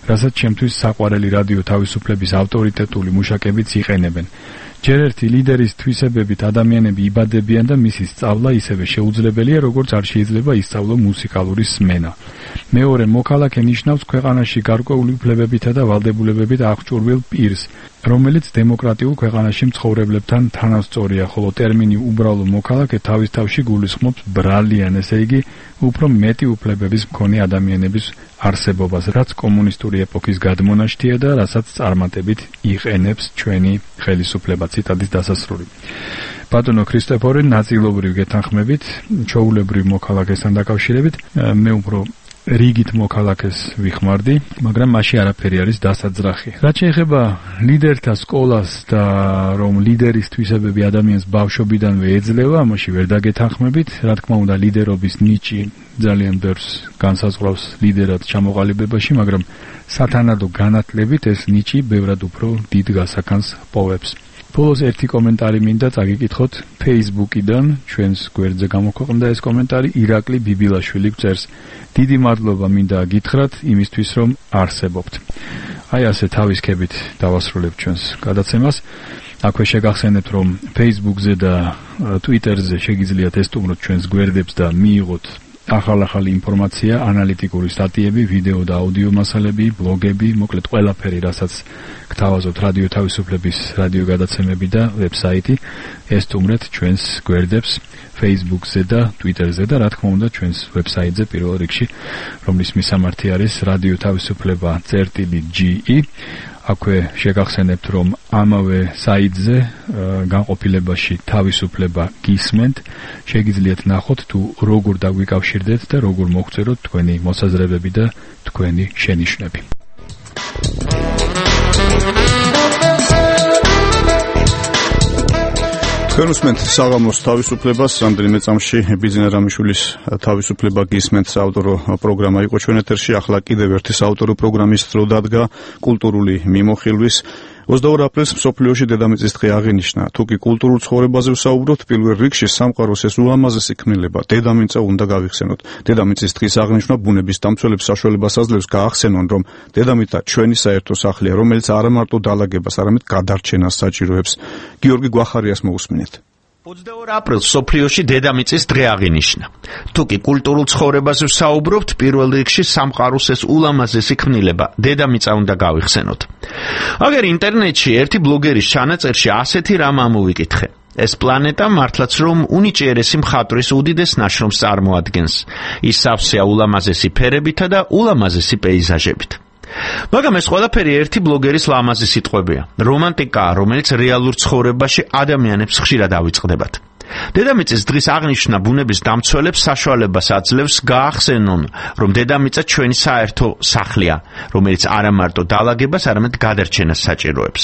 რასაც ჩემთვის საყვარელი რადიო თავისუფლების ავტორიტეტული მუშაკებიც იყენებენ. ჯერ ერთი ლიდერის თვისებებით ადამიანები იბადებიან და მისი სწავლა ისევე შეუძლებელია, როგორც არ შეიძლება ისწავლო მუსიკალური სმენა. მეორე, მოქალაქე ნიშნავს ქვეყანაში გარკვეული უფლებებითა და ვალდებულებებით აღჭურვილ პირს, რომელიც დემოკრატიულ ქვეყანაში მცხოვრებლებთან თანასწორია, ხოლო ტერმინი უბრალო მოქალაქე თავის თავში გულისხმობს ბრალიან, ესე იგი, უფრო მეტი უფლებების მქონე ადამიანების არსებობას, რაც კომუნისტური ეპოქის გადმონაშთია და რასაც წარმატებით იყენებს ჩვენი ხელისუფლება. ციტატის დასასრული. ბატონო ქრისტეფორე, ნაწილობრივ გეთანხმებით, ჩვეულებრივ მოქალაქესთან დაკავშირებით, მე უფრო რიგით მოქალაქეს ვიხმარდი, მაგრამ მასში არაფერი არის დასაძრახი. რაც შეეხება ლიდერთა სკოლას და რომ ლიდერის თვისებები ადამიანს ბავშვობიდანვე ეძლევა, ამაში ვერ დაგეთანხმებით. რა თქმა უნდა, ლიდერობის ნიჭი ძალიან ბევრს განსაზღვრავს ლიდერად ჩამოყალიბებაში, მაგრამ სათანადო განათლებით ეს ნიჭი ბევრად უფრო დიდ გასახანს პოვებს. ბოლოს ერთი კომენტარი მინდა წაგიკითხოთ Facebook-იდან, ჩვენს გვერდზე გამოქვეყნდა ეს კომენტარი, ირაკლი ბიბილაშვილი გვწერს: დიდი მადლობა მინდა გითხრათ იმისთვის, რომ არსებობთ. აი ასე თავისქებით დავასრულებთ ჩვენს გადაცემას. აქვე შეგახსენებთ, რომ Facebook-ზე და Twitter-ზე შეგიძლიათ ესტუმროთ ჩვენს გვერდებს და მიიღოთ ახალ-ახალი ინფორმაცია, ანალიტიკური სტატიები, ვიდეო და აუდიო მასალები, ბლოგები, მოკლედ ყველაფერი, რასაც გთავაზობთ რადიო თავისუფლების რადიო გადაცემები და ვებსაიტი, ესტუმრეთ ჩვენს გვერდებს Facebook-ზე და Twitter-ზე და რა თქმა უნდა ჩვენს ვებსაიტზე პირველ რიგში, რომლის მისამართი არის რადიო თავისუფლება.ge. აქვე შეგახსენებთ, რომ ამავე საიტზე განყოფილებაში თავისუფლება გისმენთ, შეგიძლიათ ნახოთ თუ როგორ დაგვიკავშირდეთ და როგორ მოგწეროთ თქვენი მოსაზრებები და თქვენი შენიშვნები. თქვენ უსმენთ საღამოს თავისუფლებას, რამდენიმე წამში ბიძინა რამიშვილის თავისუფლება გისმენთ საავტორო პროგრამა იყო ჩვენ ეთერში, ახლა კიდევ ერთი საავტორო პროგრამის დრო დადგა კულტურული მიმოხილვის 22 აპრილს მსოფლიოში დედამიწის დღე აღინიშნა. თუ კი კულტურულ ცხოვრებაზე ვსაუბრობთ, პირველ რიგში სამყაროს ეს ულამაზესი ქმნილება დედამიწა უნდა გავიხსენოთ. დედამიწის დღის აღნიშვნა ბუნების დამცველებს საშუალებას აძლევს გაახსენონ, რომ დედამიწა ჩვენი საერთო სახლია, რომელიც არა მარტო დალაგებას, არამედ გადარჩენას საჭიროებს. გიორგი გვახარიას მოусმინეთ. 22 აპრილს სოფლიოში დედამიწის დღე აღინიშნა. თუ კი კულტურულ ცხოვრებაზე ვსაუბრობთ, პირველ რიგში სამყაროს ეს ულამაზესი ქმნილება დედამიწა უნდა გავიხსენოთ. აგერ ინტერნეტში ერთი ბლოგერის ჩანაწერში ასეთი რამ ამოვიკითხე. ეს პლანეტა მართლაც რომ უნიჭიერესი მხატვრის უდიდეს ნაშრომს წარმოადგენს. ის სავსეა ულამაზესი ფერებითა და ულამაზესი პეიზაჟებით. მაგრამ ეს ყველაფერი ერთი ბლოგერის ლამაზი სიტყვებია. რომანტიკაა, რომელიც რეალურ ცხოვრებაში ადამიანებს ხშირად ავიწყდებათ. დედამიწის დღის აღნიშვნა ბუნების დამცველებს საშუალებას აძლევს გაახსენონ, რომ დედამიწა ჩვენი საერთო სახლია, რომელიც არა მარტო დალაგებას, არამედ გადარჩენას საჭიროებს.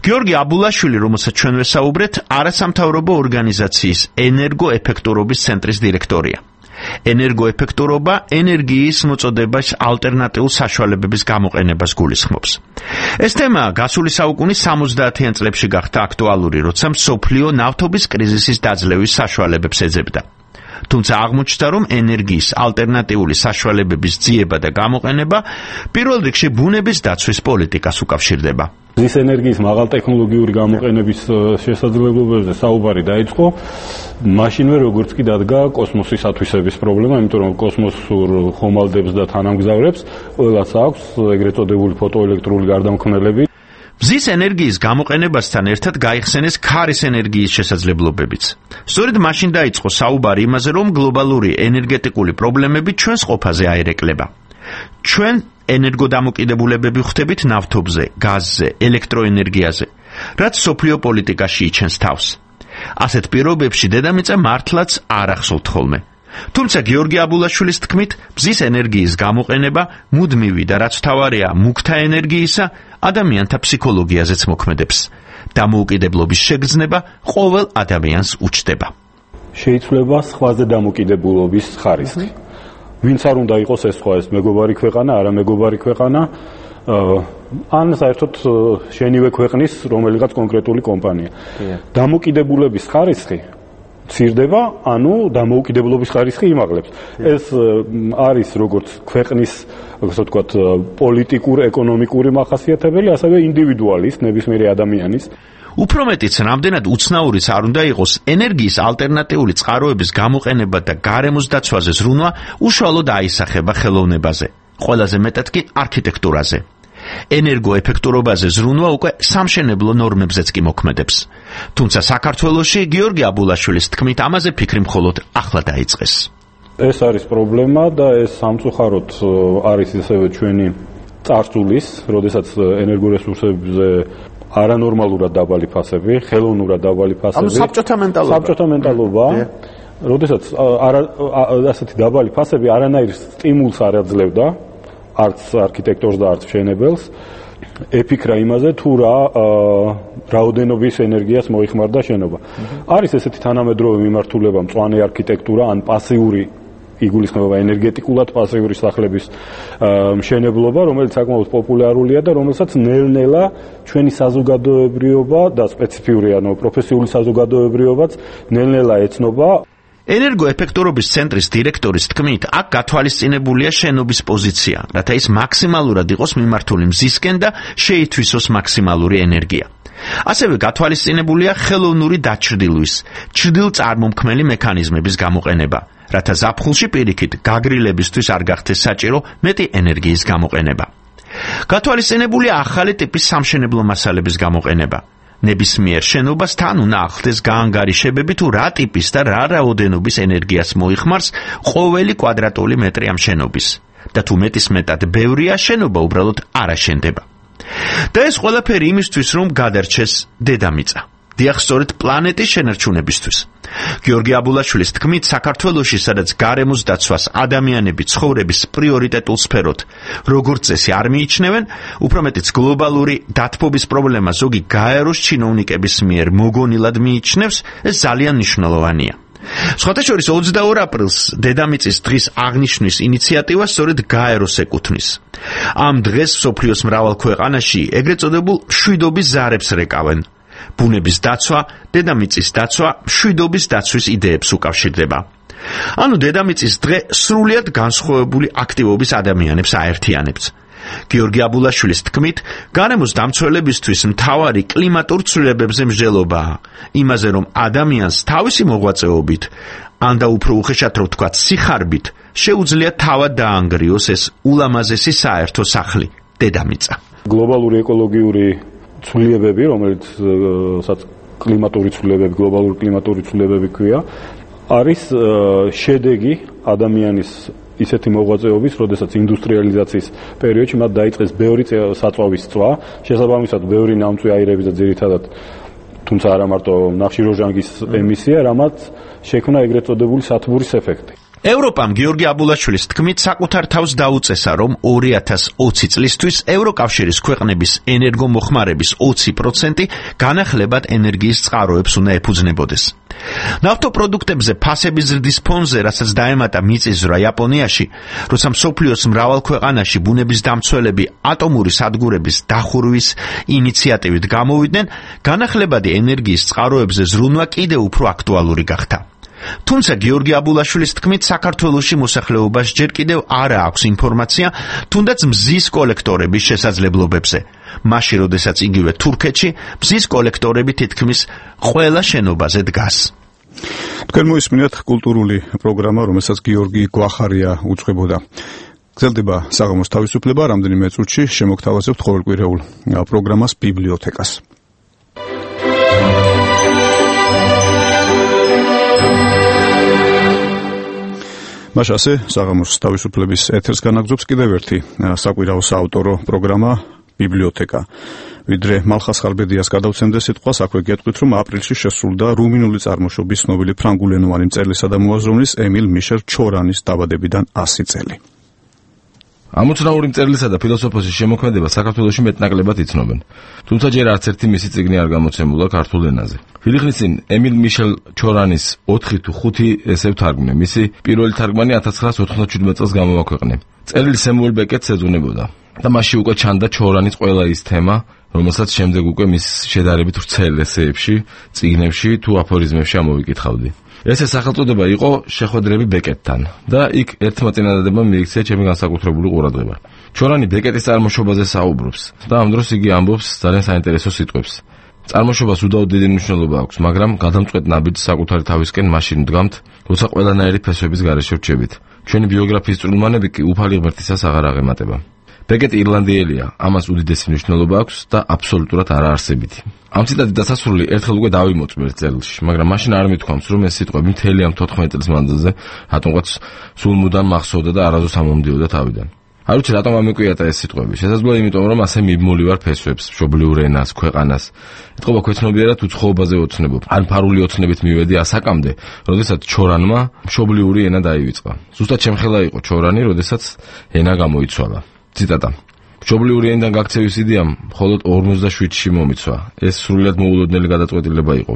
გიორგი აბულაშვილი, რომელსაც ჩვენ ვესაუბრეთ, არასამთავრობო ორგანიზაციის ენერგოეფექტურობის ცენტრის დირექტორია. ენერგოეფექტურობა ენერგიის მოწოდებას ალტერნატიულ საშუალებების გამოყენებას გულისხმობს. ეს თემა გასული საუკუნის 70-იან წლებში გახდა აქტუალური, როცა მსოფლიო ნავთობის კრიზისის დაძლევის საშუალებებს ეძებდა. თუმცა აღმოჩნდა, რომ ენერგიის ალტერნატიული საშუალებების ძიება და გამოყენება პირველ რიგში ბუნების დაცვის პოლიტიკას უკავშირდება. მზის ენერგიის მაღალტექნოლოგიური გამოყენების შესაძლებლობებზე საუბარი დაიწყო მაშინვე, როგორც კი დადგა კოსმოსის ათვისების პრობლემა, იმიტომ რომ კოსმოსურ ხომალდებს და თანამგზავრებს ყველას აქვს ეგრეთ წოდებული ფოტოელექტრული გარდამქმნელები. მზის ენერგიის გამოყენებასთან ერთად გაიხსენეს ქარის ენერგიის შესაძლებლობებიც. სწორედ მაშინ დაიწყო საუბარი იმაზე, რომ გლობალური ენერგეტიკული პრობლემები ჩვენს ყოფაზე აერეკლება. ჩვენ ენერგოდამოკიდებულებები ვხდებით ნავთობზე, გაზზე, ელექტროენერგიაზე, რაც სოფლიო პოლიტიკაში იჩენს თავს. ასეთ პირობებში დედამიწა მართლაც არ ახსოვთ ხოლმე. თუმცა გიორგი აბულაშვილის თქმით, მზის ენერგიის გამოყენება მუდმივი და რაც თავარია მუქთა ენერგიისა ადამიანთა ფსიქოლოგიაზეც მოქმედებს. დამოუკიდებლობის შეგრძნება ყოველ ადამიანს უჩნდება. შეიცვლება სხვაზე დამოკიდებულობის ხარისხი. ვინც არ უნდა იყოს ეს სხვა, ეს მეგობარი ქვეყანა, არა მეგობარი ქვეყანა, ან საერთოდ შენივე ქვეყნის რომელიღაც კონკრეტული კომპანია. დამოკიდებულების ხარისხი ცირდება, ანუ დამოუკიდებლობის ხარისხი იმაღლებს. ეს არის როგორც ქვეყნის, ასე ვთქვათ, პოლიტიკურ-ეკონომიკური მახასიათებელი, ასევე ინდივიდუალის, ნებისმიერი ადამიანის. უფრო მეტიც, რამდენად უცნაურის არ უნდა იყოს ენერგიის ალტერნატიული წყაროების გამოყენება და გარემოს დაცვაზე ზრუნვა უშუალოდ აისახება ხელოვნებაზე, ყველაზე მეტად კი არქიტექტურაზე. ენერგოეფექტურობაზე ზრუნვა უკვე სამშენებლო ნორმებზეც კი მოქმედებს. თუმცა საქართველოში გიორგი აბულაშვილის თქმით ამაზე ფიქრი მხოლოდ ახლა დაიწყეს. ეს არის პრობლემა და ეს სამწუხაროდ არის ისევე ჩვენი წარსულის, როდესაც ენერგორესურსებზე არანორმალურად დაბალი ფასები, ხელოვნურად დაბალი ფასები. ანუ საბჭოთა მენტალობა. როდესაც ასეთი დაბალი ფასები არანაირ სტიმულს არ აძლევდა, არც არქიტექტორს და არც მშენებელს, ეფიქრა იმაზე თუ რა რაოდენობის ენერგიას მოიხმარდა შენობა. არის ესეთი თანამედროვე მიმართულება მწვანე არქიტექტურა ან პასიური იგულისხმება ენერგეტიკულად პასიური სახლების მშენებლობა, რომელიც საკმაოდ პოპულარულია და რომელსაც ნელ-ნელა ჩვენი საზოგადოებრიობა და სპეციფიური, ანუ პროფესიული საზოგადოებრიობაც ნელ-ნელა ეცნობა. ენერგოეფექტურობის ცენტრის დირექტორის თქმით, აქ გათვალისწინებულია შენობის პოზიცია, რათა ის მაქსიმალურად იყოს მიმართული მზისკენ და შეითვისოს მაქსიმალური ენერგია. ასევე გათვალისწინებულია ხელოვნური დაჩრდილვის, ჩრდილწარმომქმნელი მექანიზმების გამოყენება, რათა ზაფხულში პირიქით გაგრილებისთვის არ გახდეს საჭირო მეტი ენერგიის გამოყენება. გათვალისწინებულია ახალი ტიპის სამშენებლო მასალების გამოყენება. ნებისმიერ შენობას თან უნდა ახლდეს გაანგარიშებები თუ რა ტიპის და რა რაოდენობის ენერგიას მოიხმარს ყოველი კვადრატული მეტრი ამ შენობის და თუ მეტისმეტად ბევრია შენობა უბრალოდ არ აშენდება. და ეს ყველაფერი იმისთვის, რომ გადარჩეს დედამიწა. დიახ, სწორედ პლანეტის შენარჩუნებისთვის. გიორგი აბულაშვილის თქმით, საქართველოში, სადაც გარემოს დაცვას ადამიანები ცხოვრების პრიორიტეტულ სფეროდ როგორც წესი არ მიიჩნევენ, უფრო მეტიც გლობალური დათბობის პრობლემა ზოგი გაეროს ჩინოვნიკების მიერ მოგონილად მიიჩნევს, ეს ძალიან მნიშვნელოვანია. სხვათა შორის 22 აპრილს დედამიწის დღის აღნიშვნის ინიციატივა სწორედ გაეროს ეკუთვნის. ამ დღეს მსოფლიოს მრავალ ქვეყანაში ეგრეთ წოდებულ მშვიდობის ზარებს რეკავენ. ბუნების დაცვა, დედამიწის დაცვა, მშვიდობის დაცვის იდეებს უკავშირდება. ანუ დედამიწის დღე სრულიად განსხვავებული აქტივობის ადამიანებს აერთიანებს. გიორგი აბულაშვილის თქმით, გარემოს დამცველებისთვის მთავარი კლიმატურ ცვლილებებზე მსჯელობაა, იმაზე რომ ადამიანს თავისი მოღვაწეობით, ან და უფრო უხეშად რომ ვთქვათ, სიხარბით, შეუძლია თავად დაანგრიოს ეს ულამაზესი საერთო სახლი, დედამიწა. გლობალური ეკოლოგიური ცვლილებები, რომელსაც კლიმატური ცვლილებები, გლობალური კლიმატური ცვლილებები ქვია, არის შედეგი ადამიანის ისეთი მოღვაწეობის, როდესაც ინდუსტრიალიზაციის პერიოდში მათ დაიწყეს ბევრი საწვავის წვა, შესაბამისად ბევრი ნამწვი აირების და ძირითადად თუმცა არა მარტო ნახშირორჟანგის ემისია, რამაც შექმნა ეგრეთ წოდებული სათბურის ეფექტი. ევროპამ გიორგი აბულაშვილის თქმით საკუთარ თავს დაუწესა, რომ 2020 წლისთვის ევროკავშირის ქვეყნების ენერგომოხმარების 20% განახლებად ენერგიის წყაროებს უნდა ეფუძნებოდეს. ნავთობპროდუქტებზე ფასების ზრდის ფონზე, რასაც დაემატა მიწისძვრა იაპონიაში, როცა მსოფლიოს მრავალ ქვეყანაში ბუნების დამცველები ატომური სადგურების დახურვის ინიციატივით გამოვიდნენ, განახლებადი ენერგიის წყაროებზე ზრუნვა კიდევ უფრო აქტუალური გახდა. თუმცა გიორგი აბულაშვილის თქმით, საქართველოში მოსახლეობას ჯერ კიდევ არ აქვს ინფორმაცია თუნდაც მზის კოლექტორების შესაძლებლობებზე. მაშინ, როდესაც იგივე თურქეთში მზის კოლექტორები თითქმის ყველა შენობაზე დგას. თქვენ მოისმინეთ კულტურული პროგრამა, რომელსაც გიორგი გვახარია უძღვებოდა. გრძელდება საღამოს თავისუფლება, რამდენიმე წუთში შემოგთავაზებთ ყოველკვირეულ პროგრამას ბიბლიოთეკას. მაშასე საღამოს თავისუფლების ეთერს განაგზობს კიდევ ერთი საკვირაო საავტორო პროგრამა ბიბლიოთეკა. ვიდრე მალხას ხალბედიას გადავცემდე სიტყვას, აქვე გეტყვით, რომ აპრილში შესრულდა რუმინული წარმოშობის ცნობილი ფრანგულენოვანი მწერლისა და მოაზროვნის ემილ მიშელ ჩორანის დაბადებიდან 100 წელი. ამოცნაური მწერლისა და ფილოსოფოსის შემოქმედება საქართველოში მეტნაკლებად იცნობენ. თუმცა ჯერ არც ერთი მისი წიგნი არ გამოცემულა ქართულ ენაზე. ხელი ხნის წინ ემილ მიშელ ჩორანის 4 თუ 5 ესე ვთარგმნე. მისი პირველი თარგმანი 1997 წელს გამოვაქვეყნე. წერილი სემუელ ბეკეტს ეძღვნებოდა და მასში უკვე ჩანდა ჩორანის ყველა ის თემა, რომელსაც შემდეგ უკვე მის შედარებით ვრცელ ესეებში, წიგნებში თუ აფორიზმებში ამოვიკითხავდი. ეს სახელწოდება იყო შეხვედრები ბეკეტთან და იქ ერთმა წინადადებამ მიიქცია ჩემი განსაკუთრებული ყურადღება. ჩორანი ბეკეტის წარმოშობაზე საუბრობს და ამ დროს იგი ამბობს ძალიან საინტერესო სიტყვებს. წარმოშობას უდაოდ დიდი მნიშვნელობა აქვს, მაგრამ გადამწყვეტ ნაბიჯს საკუთარი თავისკენ მაშინ ვდგამთ, როცა ყველანაირი ფესვების გარეშე ვრჩებით. ჩვენი ბიოგრაფიის წვრილმანები კი უფალი ღმერთისას აღარ აღემატება. ბეკეტი ირლანდიელია, ამას უდიდესი მნიშვნელობა აქვს და აბსოლუტურად არაარსებითი. ამ ციტატით დასასრული ერთხელ უკვე დავიმოწმეთ წერილში, მაგრამ მაშინ არ მithქვამს, რომ ეს სიტყვები მთელი ამ 14 წლის მანძილზე რატომღაც სულ მუდამ მახსოვდა და არასდროს ამომდიოდა თავიდან. არ ვიცი რატომ ამეკვიატა ეს სიტყვები. შესაძლოა იმიტომ, რომ ასე მიბმული ვარ ფესვებს, მშობლიურ ენას, ქვეყანას. ეთყობა ქვეცნობიერად უცხოობაზე ოცნებობ. ან ფარული ოცნებით მივედი ასაკამდე, როდესაც ჩორანმა მშობლიური ენა დაივიწყა. ზუსტად შემხელა იყო ჩორანი, როდესაც ენა გამოიცვალა. ციტატა. მშობლიური ენიდან გაქცევის იდეამ მხოლოდ 57-ში მომიცვა. ეს სრულიად მოულოდნელი გადაწყვეტილება იყო.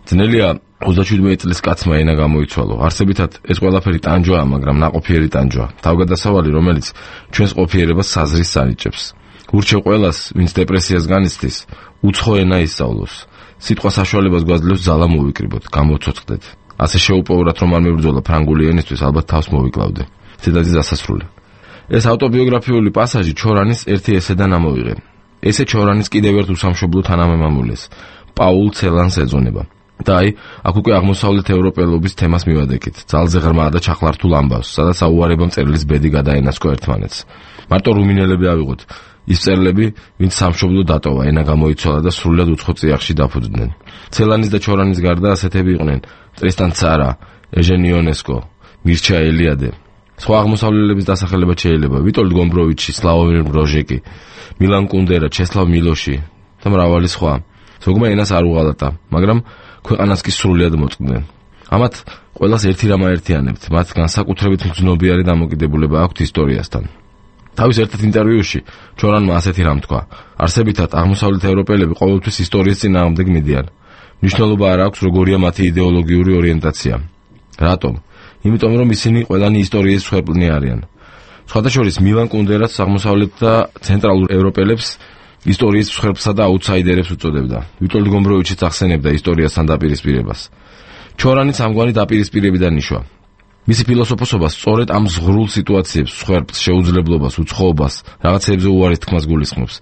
ძნელია 37 წლის კაცმა ენა გამოიცვალო. არსებითად ეს ყველაფერი ტანჯვაა, მაგრამ ნაყოფიერი ტანჯვა. თავგადასავალი, რომელიც ჩვენს ყოფიერებას საზრის ანიჭებს. ურჩევ ყველას, ვინც დეპრესიას განიცდის, უცხო ენა ისწავლოს. სიტყვა საშუალებას გვაძლევს ძალა მოვიკრიბოთ, გამოცოცხლდეთ. ასე შეუპოვრათ, რომ არ მებრძოლა ფრანგული ენისთვის, ალბათ თავს მოვიკლავდე. ციტატის დასასრული. ეს ავტობიოგრაფიული პასაჟი ჩორანის ერთი ესედან ამოვიღე. ესე ჩორანის კიდევ ერთ უსამშობლო თანამემამულეს, პაულ ცელანს ეძღვნება. და აი, აქ უკვე აღმოსავლეთ ევროპელობის თემას მივადექით, ძალზე ღრმა და ჩახლართულ ამბავს, სადაც აუარებამ წერილის ბედი გადაენაცკო ერთმანეთს. მარტო რუმინელები ავიღოთ, ის მწერლები, ვინც სამშობლო დატოვა, ენა გამოიცვალა და სრულად უცხო წიაღში დაფუძნდნენ. ცელანის და ჩორანის გარდა ასეთები იყვნენ: ტრისტან ცარა, ეჟენ იონესკო, მირჩა ელიადე. სხვა აღმოსავლელების დასახელება შეიძლება ვიტოლდ გომბროვიჩი, სლავომირ ბროჟეკი, მილან კუნდერა, ჩესლავ მილოში და მრავალი სხვა. ზოგმა ენას არ უღალატა, მაგრამ ქვეყანას კი სრულიად მოწყდნენ. ამათ ყველას ერთი რამ აერთიანებთ, მათ განსაკუთრებით მგრძნობიარე დამოკიდებულება აქვთ ისტორიასთან. თავის ერთ ინტერვიუში ჩორანმა ასეთი რამ თქვა: არსებითად აღმოსავლეთ ევროპელები ყოველთვის ისტორიის წინააღმდეგ მიდიან. მნიშვნელობა არ აქვს როგორია მათი იდეოლოგიური ორიენტაცია. რატომ? იმიტომ რომ ისინი ყველანი ისტორიის მსხვერპლნი არიან. სხვადასხვა მილან კუნდერაც აღმოსავლეთ და ცენტრალურ ევროპელებს ისტორიის მსხვერპლსა და აუთსაიდერებს უწოდებდა. ვიტოლდ გომბროვიჩიც ახსენებდა ისტორიასთან დაპირისპირებას. ჩორანიც ამგვარი დაპირისპირებიდან ნიშვა. მისი ფილოსოფოსობა სწორედ ამ ზღვრულ სიტუაციებს, მსხვერპლს, შეუძლებლობას, უცხოობას, რაღაცეებზე უარის თქმას გულისხმობს.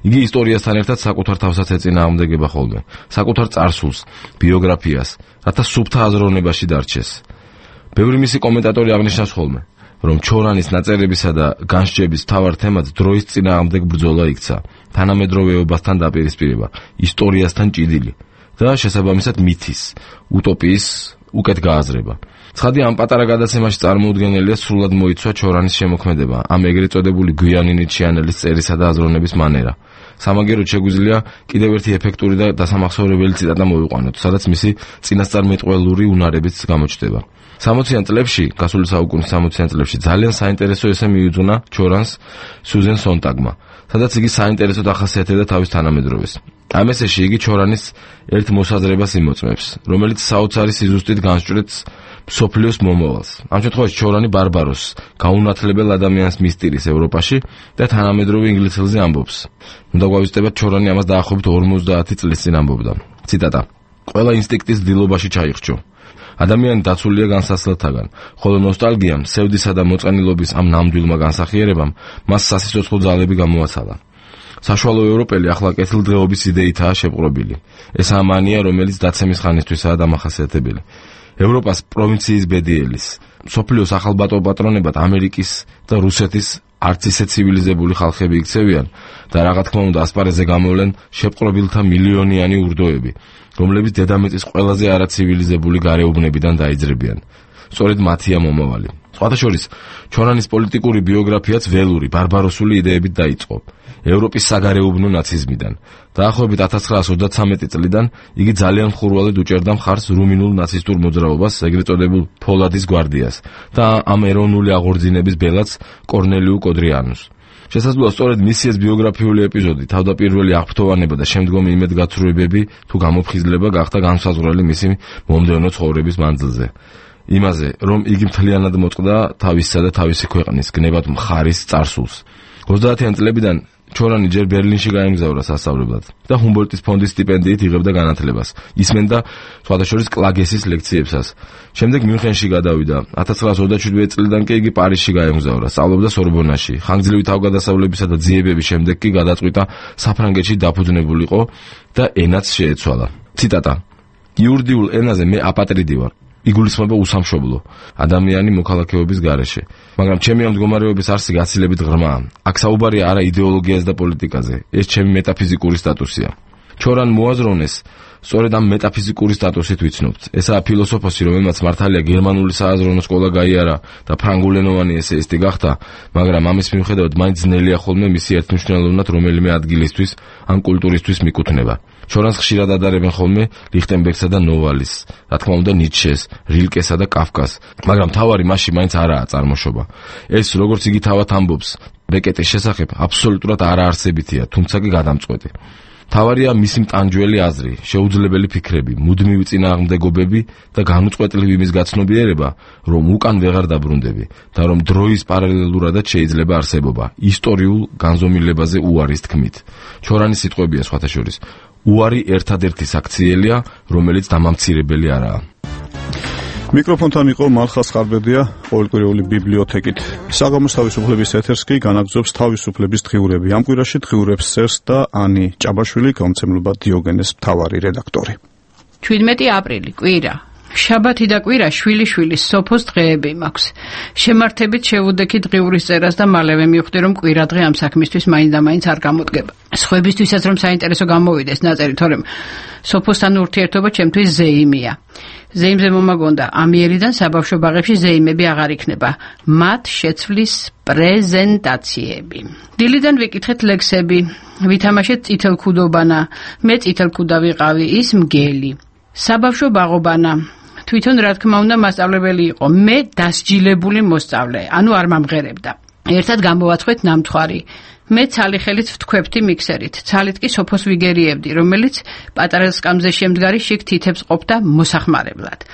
იგი ისტორიასთან ერთად საკუთარ თავსაც ეწინააღმდეგება ხოლმე, საკუთარ წარსულს, ბიოგრაფიას, რათა სუფთა აზროვნებაში დარჩეს. ბევრი მისი კომენტატორი აღნიშნავს ხოლმე, რომ ჩორანის ნაწერებისა და განსჯების მთავარ თემად დროის წინააღმდეგ ბრძოლა იქცა, თანამედროვეობასთან დაპირისპირება, ისტორიასთან ჭიდილი და შესაბამისად მითის, utopიის უკეთ გააზრება. ცხადი ამ პატარა გადაცემაში წარმოუდგენელია სრულად მოიცვა ჩორანის შემოქმედება, ამ ეგრეთ წოდებული გვიანი ნიჩიანელის წერისა და აზროვნების მანერა. სამაგეროდ შეგვიძლია კიდევ ერთი ეფექტური და დასამახსოვრებელი ციტატა მოვიყვანოთ, სადაც მისი წინასწარმეტყველური უნარებიც გამოჩნდება. 60-იან წლებში, გასული საუკუნის 60-იან წლებში ძალიან საინტერესო ესე მიუძღვნა ჩორანს სუზენ სონტაგმა, სადაც იგი საინტერესოდ ახასიათებდა თავის თანამედროვეს. ამ ესეში იგი ჩორანის ერთ მოსაზრებას იმოწმებს, რომელიც საოცარი სიზუსტით განსჭვრეტს მსოფლიოს მომავალს. ამ შემთხვევაში ჩორანი ბარბაროსს, გაუნათლებელ ადამიანს მისტირის ევროპაში და თანამედროვე ინგლისელზე ამბობს. უნდა გვავიწყდეთ ჩორანი ამას დაახლოებით 50 წლის წინ ამბობდა. ციტატა: ყველა ინსტინქტის დილობაში ჩაიხრჩო. ადამიანი დაცულია განსაცდელთაგან, ხოლო ნოსტალგიამ, სევდისა და მოწყენილობის ამ ნამდვილმა განსახიერებამ მას სასიცოცხლო ძალები გამოაცალა. საშუალო ევროპელი ახლა კეთილდღეობის იდეითაა შეპყრობილი. ეს ამანია, რომელიც დაცემის ხანისთვისაა დამახასიათებელი. ევროპას პროვინციის ბედიელის, მსოფლიოს ახალბატო პატრონებად ამერიკის და რუსეთის არც ისე ცივილიზებული ხალხები იქცევიან და რა თქმა უნდა ასპარეზზე გამოვლენ შეპყრობილთა მილიონიანი ურდოები, რომლებიც დედამიწის ყველაზე არაცივილიზებული გარეუბნებიდან დაიძრებიან. სწორედ მათია მომავალი. სხვადასხვა ჩორანის პოლიტიკური ბიოგრაფიაც ველური, ბარბაროსული იდეებით დაიწყო. ევროპის საგარეუბნო ნაციზმიდან. დაახლოებით 1933 წლიდან იგი ძალიან ხურვალედ უჭერდა მხარს რუმინულ ნაცისტურ მოძრაობას, ეგრეთ წოდებულ ფოლადის გვარდიას და ამ ეროვნული აღორძინების ბელაც კორნელიუ კოდრიანუს. შესაძლოა სწორედ მისი ეს ბიოგრაფიული ეპიზოდი, თავდაპირველი აღფრთოვანება და შემდგომი იმედგაცრუებები თუ გამოფხიზლება გახდა განსაზღვრელი მისი მომდევნო ცხოვრების მანძილზე. იმაზე, რომ იგი მთლიანად მოწყდა თავისა და თავისი ქვეყნის გნებად მხარის წარსულს. 30-იან წლებიდან ჩორანი ჯერ ბერლინში გაემგზავრა სასწავლებლად და ჰუმბოლდტის ფონდის სტიპენდიით იღებდა განათლებას. ისმენდა სხვადასხვა კლაგესის ლექციებსაც. შემდეგ მიუნხენში გადავიდა. 1927 წლიდან კი იგი პარიზში გაემგზავრა, სწავლობდა სორბონაში. ხანგრძლივი თავგადასავლებისა და ძიებების შემდეგ კი გადაწყვიტა საფრანგეთში დაფუძნებულიყო და ენაც შეეცვალა. ციტატა: იურიდიულ ენაზე მე აპატრიდი ვარ. იგულისხმება უსამშობლო ადამიანი მოქალაქეობის გარეშე, მაგრამ ჩემი ამ მდგომარეობის არსი გაცილებით ღრმაა. აქ საუბარია არა იდეოლოგიაზე და პოლიტიკაზე, ეს ჩემი მეტაფიზიკური სტატუსია. ჩორან მოაზროვნეს სწორედ ამ მეტაფიზიკური სტატუსით ვიცნობთ. ესაა ფილოსოფოსი, რომელმაც მართალია გერმანული სააზროვნო სკოლა გაიარა და ფრანგულენოვანი ესეისტი გახდა, მაგრამ ამის მიუხედავად მაინც ძნელია ხოლმე მისი ერთმნიშვნელოვნად რომელიმე ადგილისთვის ან კულტურისთვის მიკუთვნება. ჩორანს ხშირად ადარებენ ხოლმე ლიხტენბერგსა და ნოვალის, რა თქმა უნდა ნიცშეს, რილკესა და კაფკას, მაგრამ თავარი მასში მაინც არაა წარმოშობა. ეს, როგორც იგი თავად ამბობს, ბეკეტის შესახებ აბსოლუტურად არაარსებითია, თუმცა კი გადამწყვეტი. თავარია მისი მტანჯველი აზრი, შეუძლებელი ფიქრები, მუდმივი წინააღმდეგობები და განუწყვეტლივი იმის გაცნობიერება, რომ უკან ვეღარ დაბრუნდები და რომ დროის პარალელურადაც შეიძლება არსებობა, ისტორიულ განზომილებაზე უარის თქმით. ჩორანის სიტყვებია სხვათა შორის. უარი ერთადერთი საქციელია, რომელიც დამამცირებელი არაა. მიკროფონთან იყო მალხას ხარბედია, ყოველკვირეული ბიბლიოთეკით. საღამოს თავისუფლების ეთერს კი განაგრძობს თავისუფლების დღიურები. ამ კვირაში დღიურებს წერს და ანი ჭაბაშვილი, გამომცემლობა დიოგენეს მთავარი რედაქტორი. 17 აპრილი, კვირა. შაბათი და კვირა შვილიშვილის სოფოს დღეები მაქვს. შემართებით შევუდექი დღიურის წერას და მალევე მივხვდი, რომ კვირა დღე ამ საქმისთვის მაინც არ გამოდგება. სხვებისთვისაც რომ საინტერესო გამოვიდეს ნაწერი, თორემ სოფოსთან ურთიერთობა ჩემთვის ზეიმია. ზეიმზე მომაგონდა ამიერიდან საბავშვო ბაღებში ზეიმები აღარ იქნება. მათ შეცვლის პრეზენტაციები. დილიდან ვიკითხეთ ლექსები, ვითამაშეთ წითელქუდობანა, მე წითელქუდა ვიყავი, ის მგელი. საბავშვო ბაღობანა. თვითონ რა თქმა უნდა მასწავლებელი იყო, მე დასჯილებული მოსწავლე, ანუ არ მომღერებდა. ერთად გამოვაცხვეთ ნამთვარი. მე ცალი ხელით ვთქვებდი მიქსერით, ცალით კი სოფოს ვიგერიებდი, რომელიც პატარა სკამზე შემდგარი შიგ თითებს ყოფდა მოსახმარებლად.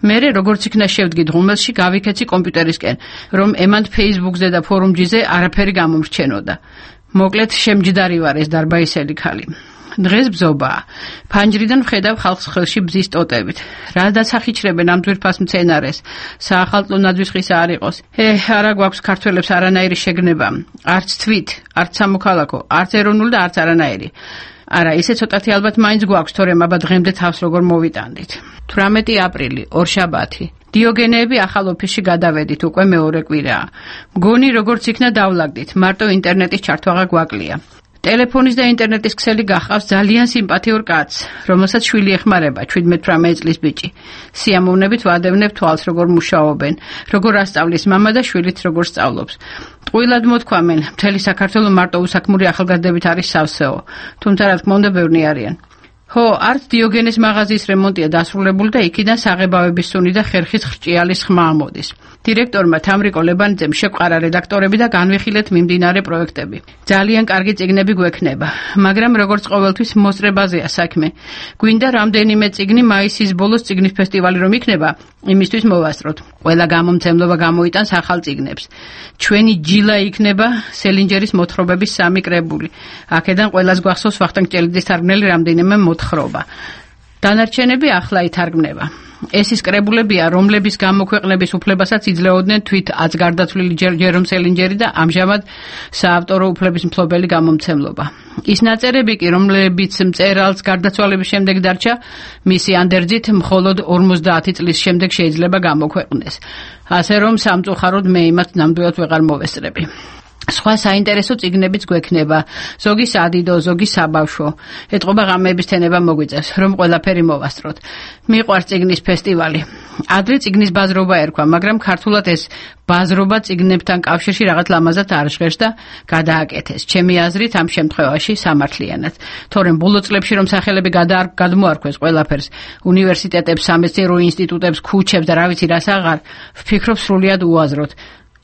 მერე როგორც იქნა შევდგი ღუმელში, გავიქეცი კომპიუტერისკენ, რომ ემანდ Facebook-ზე და ფორუმჯიზე არაფერი გამომრჩენოდა. მოკლედ შემჯდარი ვარ ეს დარბაისელი ქალი. დღეს ბზობაა. ფანჯრიდან ვხედავ ხალხს ხელში ბზის ტოტებით. რა დასახიჩრებენ ამ ძვირფას მცენარეს? საახალწლო ნაძვის ხისა არ იყოს. არა გვაქვს ქართველებს არანაირი შეგნება. არც თვით, არც სამოქალაქო, არც ეროვნული და არც არანაირი. არა, ისე ცოტათი ალბათ მაინც გვაქვს, თორემ აბა დღემდე თავს როგორ მოვიტანდით. 18 აპრილი, ორშაბათი. დიოგენეები ახალ ოფისში გადავედით, უკვე მეორე კვირაა. მგონი როგორც იქნა დავლაგდით, მარტო ინტერნეტის ჩართვაღა გვაკლია. ტელეფონის და ინტერნეტის ქსელი გახავს ძალიან სიმპათიურ კაცს, რომელსაც შვილი ეხმარება, 17-18 წლის ბიჭი. სიამოვნებით ვადევნებ თვალს, როგორ მუშაობენ, როგორ ასწავლის მამა და შვილით როგორ სწავლობს. ტყუილად მოთქვამენ, მთელი საქართველო მარტო უსაქმური ახალგაზრდებით არის სავსეო, თუმცა რა თქმა უნდა ბევრი არიან. ხო, არც დიოგენეს მაღაზიის რემონტია დასრულებული და იქიდან საღებავების სუნი და ხერხის ხრჭიალის ხმა ამოდის. დირექტორმა თამრიკო ლებანიძემ შეყარა რედაქტორები და განვიხილეთ მიმდინარე პროექტები. ძალიან კარგი წიგნები გვექნება, მაგრამ როგორც ყოველთვის მოსწრებაზეა საქმე. გვინდა რამდენიმე წიგნი მაისის ბოლოს წიგნის ფესტივალი რომ იქნება, იმისთვის მოვასწროთ. ყველა გამომცემლობა გამოიტანს ახალ წიგნებს. ჩვენი ჯილა იქნება სელინჯერის მოთხრობების 3 კრებული. აქედან ყველას გვახსოვს ვახტანგ ჭელიძის თარგმნელი რამდენიმე მოთხრობა. დანარჩენები ახლა ითარგმნება. ეს ის კრებულებია, რომლების გამოქვეყნების უფლებასაც იძლეოდნენ თვით აცგარდაცვლილი ჯერომ სელინჯერი და ამჟამად საავტორო უფლების მფლობელი გამომცემლობა. ის ნაწერები კი, რომლებიც მწერალს გარდაცვალების შემდეგ დარჩა, მისი ანდერძით მხოლოდ 50 წლის შემდეგ შეიძლება გამოქვეყნდეს. ასე რომ სამწუხაროდ მე იმათ ნამდვილად ვეღარ მოვესწრები. სხვა საინტერესო წიგნებიც გვექნება, ზოგი სადიდო, ზოგი საბავშვო. ეტყობა ღამეების თენება მოგვიწევს, რომ ყველაფერი მოვასწროთ. მიყვარს წიგნის ფესტივალი. ადრე წიგნის ბაზრობა ერქვა, მაგრამ ქართულად ეს ბაზრობა წიგნებთან კავშირში რაღაც ლამაზად არ ჟღერს და გადააკეთეს. ჩემი აზრით ამ შემთხვევაში სამართლიანად. თორემ ბოლო წლებში რომ სახელები გადმოარქვეს ყველაფერს, უნივერსიტეტებს, სამეცნიერო ინსტიტუტებს, ქუჩებს და რა ვიცი რას აღარ, ვფიქრობ სრულიად უაზროდ.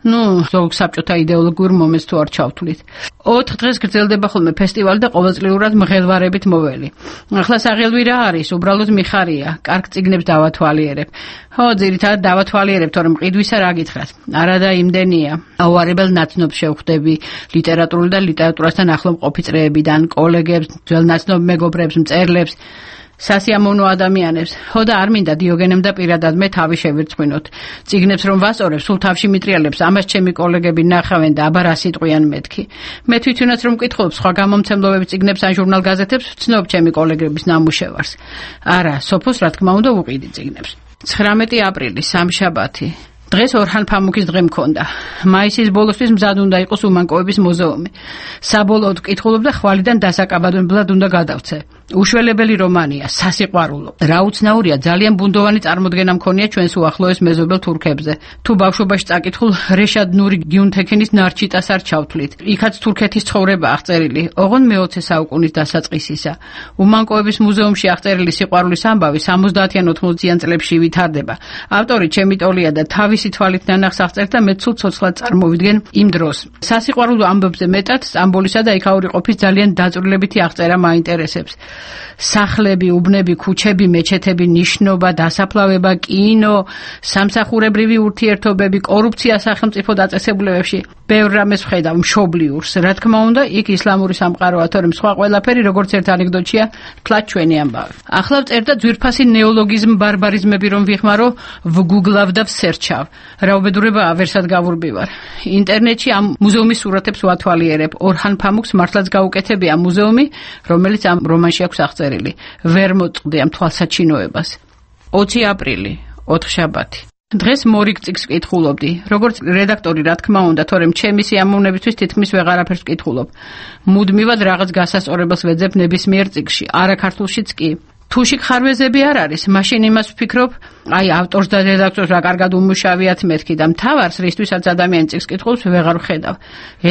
ზოგ საბჭოთა იდეოლოგიურ მომენტს თუ არ ჩავთვლით. 4 დღეს გრძელდება ხოლმე ფესტივალი და ყოველწლიურად მღელვარებით მოველი. ახლა საღელვი რა არის? უბრალოდ მიხარია. კარგ წიგნებს დავათვალიერებ. ხო, ძირითადად დავათვალიერებ, თორემ ყიდვისა რა გითხრათ. არა და იმდენია. აუარებელ ნაცნობს შევხვდები ლიტერატურული და ლიტერატურასთან ახლო მყოფი წრეებიდან, კოლეგებს, ძველ ნაცნობ მეგობრებს, მწერლებს. სასიამოვნო ადამიანებს. ხო და არ მინდა დიოგენემ და პირადად მე თავი შევერწყვნოთ. წიგნებს რომ ვასწორებ, სულ თავში მიტრიალებს, ამას ჩემი კოლეგები ნახავენ და აბა რა სიტყვიან მეთქი. მე თვითონაც რომ მკითხულობ სხვა გამომცემლობების წიგნებს ან ჟურნალ-გაზეთებს, ვცნობ ჩემი კოლეგების ნამუშევარს. არა, სოფოს რა თქმა უნდა უყიდი წიგნებს. 19 აპრილი, სამშაბათი. დღეს ორჰან ფამუქის დღე მქონდა. მაისის ბოლოსთვის მზად უნდა იყოს უმანკოების მუზეუმი. საბოლოოდ ვკითხულობ და ხვალიდან დასაკაბადებლად უნდა გადავცე. უშველებელი რომანია, სასიყვარულო. რა უცნაურია, ძალიან ბუნდოვანი წარმოდგენა მქონია ჩვენს უახლოეს მეზობელ თურქებზე. თუ ბავშვობაში წაკითხულ რეშად ნური გიუნთექინის ნარჩიტას არ ჩავთვლით. იქაც თურქეთის ცხოვრება აღწერილი, ოღონდ მე-20 საუკუნის დასაწყისისა. უმანკოების მუზეუმში აღწერილი სიყვარულის ამბავი 70-იან 80-იან წლებში ვითარდება. ავტორი ჩემი ტოლია და თავისი თვალით ნანახს აღწერს და მე ცუდ ცოცხლად წარმოვიდგენ იმ დროს. სასიყვარულო ამბებზე მეტად სტამბოლისა და იქაური ყოფის ძალიან დაწვრილებითი აღწერა მაინტერესებს. სახლები, უბნები, ქუჩები, მეჩეთები, ნიშნობა, დასაფლავება, კინო, სამსახურებრივი ურთიერთობები, კორუფცია სახელმწიფო დაწესებულებებში. ბევრ რამეს ვხედავ მშობლიურს. რა თქმა უნდა, იქ ისლამური სამყაროა, თორემ სხვა ყველაფერი როგორც ერთ ანეკდოტია, თლად ჩვენი ამბავი. ახლა ვწერ და ძვირფასი ნეოლოგიზმ ბარბარიზმები რომ ვიხმარო, ვგუგლავ და ვსერჩავ. რა უბედურებაა, ვერსად გავურბივარ. ინტერნეტში ამ მუზეუმის სურათებს ვათვალიერებ. ორჰან ფამუქს მართლაც გაუკეთებია მუზეუმი, რომელიც ამ რომანში აქვს აღწერილი. ვერ მოწყდი ამ თვალსაჩინოებას. 20 აპრილი, 4 შაბათი. დღეს მორიგ წიგნს ვკითხულობდი. როგორც რედაქტორი, რა თქმა უნდა, თორემ ჩემი სიამოვნებისთვის თითქმის ვეღარაფერს ვკითხულობ. მუდმივად რაღაც გასასწორებელს ვეძებ ნებისმიერ წიგნში, არა ქართულშიც კი. თუ შეგხარვეზები არ არის, მაშინ იმას ვფიქრობ, აი ავტორს და რედაქტორს რა კარგად უმუშავიათ მეთქი და მთავარს, რისთვისაც ადამიანი წიგნს კითხულობს, ვეღარ ვხედავ.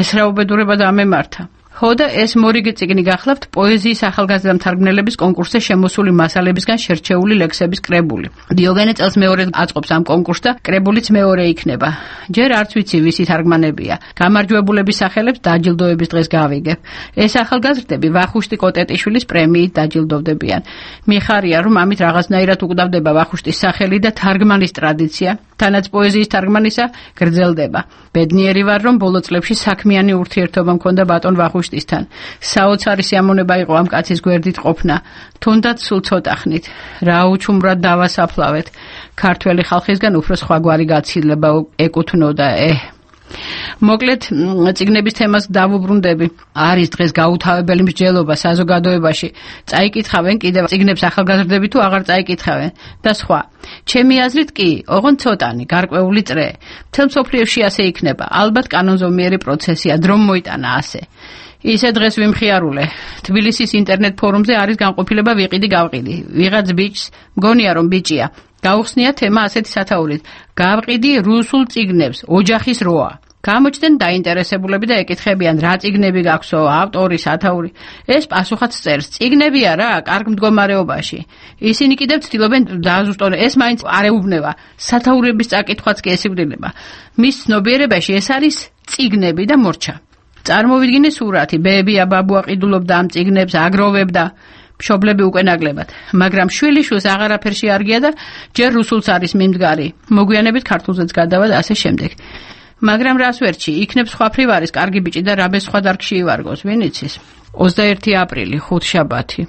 ეს რა უბედურება დამემართა. ხო და ეს მორიგი წიგნი გახლავთ პოეზიის ახალგაზრდა მთარგმნელების კონკურსზე შემოსული მასალებისგან შერჩეული ლექსების კრებული. დიოგენე წელს მეორედ აწყობს ამ კონკურსს და კრებულიც მეორე იქნება. ჯერ არც ვიცი ვისი თარგმანებია. გამარჯვებულების სახელებს დაჯილდოების დღეს გავიგებ. ეს ახალგაზრდები ვახუშტი კოტეტიშვილის პრემიით დაჯილდოვდებიან. მიხარია რომ ამით რაღაცნაირად უკვდავდება ვახუშტის სახელი და თარგმანის ტრადიცია, თანაც პოეზიის თარგმანისა გრძელდება. ბედნიერი ვარ რომ ბოლო წლებში საქმიანი ურთიერთობა მქონდა ბატონ ვახუშტისთან. საოცარი სიამონება იყო ამ კაცის გვერდით ყოფნა. თუნდაც სულ ცოტა ხნით. რა უჩუმრად დავასაფლავეთ. ქართველი ხალხისგან უფრო სხვაგვარი გაცილება ეკუთვნოდა. მოკლედ, წიგნების თემას დავუბრუნდები. არის დღეს გაუთავებელი მსჯელობა საზოგადოებაში. წაიკითხავენ კიდევ წიგნებს ახალგაზრდები თუ აღარ წაიკითხავენ და სხვა. ჩემი აზრით კი, ოღონდ ცოტანი, გარკვეული წრე. მთელ მსოფლიოში ასე იქნება. ალბათ კანონზომიერი პროცესია, დრომ მოიტანა ასე. ისე დღეს ვიმხიარულე. თბილისის ინტერნეტ ფორუმზე არის განყოფილება ვიყიდი გავყიდი. ვიღაც ბიჭს, მგონია რომ ბიჭია. გაუხსნია თემა ასეთი სათაურით. გავყიდი რუსულ წიგნებს, ოჯახის როა. გამოჩნდნენ დაინტერესებულები და ეკითხებიან რა წიგნები გაქვსო, ავტორი, სათაური. ეს პასუხად წერს, წიგნები არა, კარგ მდგომარეობაში. ისინი კიდევ ცდილობენ დააზუსტონ, ეს მაინც არ ეუბნება. სათაურების წაკითხვაც კი ესიბრდება. მის ცნობიერებაში ეს არის წიგნები და მორჩა. წარმოვიდგინე სურათი, ბებია ბაბუა ყიდულობდა ამ წიგნებს, აგროვებდა. მშობლები უკვე ნაკლებად, მაგრამ შვილიშვილს აღარაფერში არ გია და ჯერ რუსულს არის მიმდგარი. მოგვიანებით ქართულზეც გადავა და ასე შემდეგ. მაგრამ რას ვერჩი, იქნებ სხვაფრივ არის კარგი ბიჭი და რაბეს სხვა დარგში ივარგოს, ვინ იცის? 21 აპრილი, ხუთშაბათი.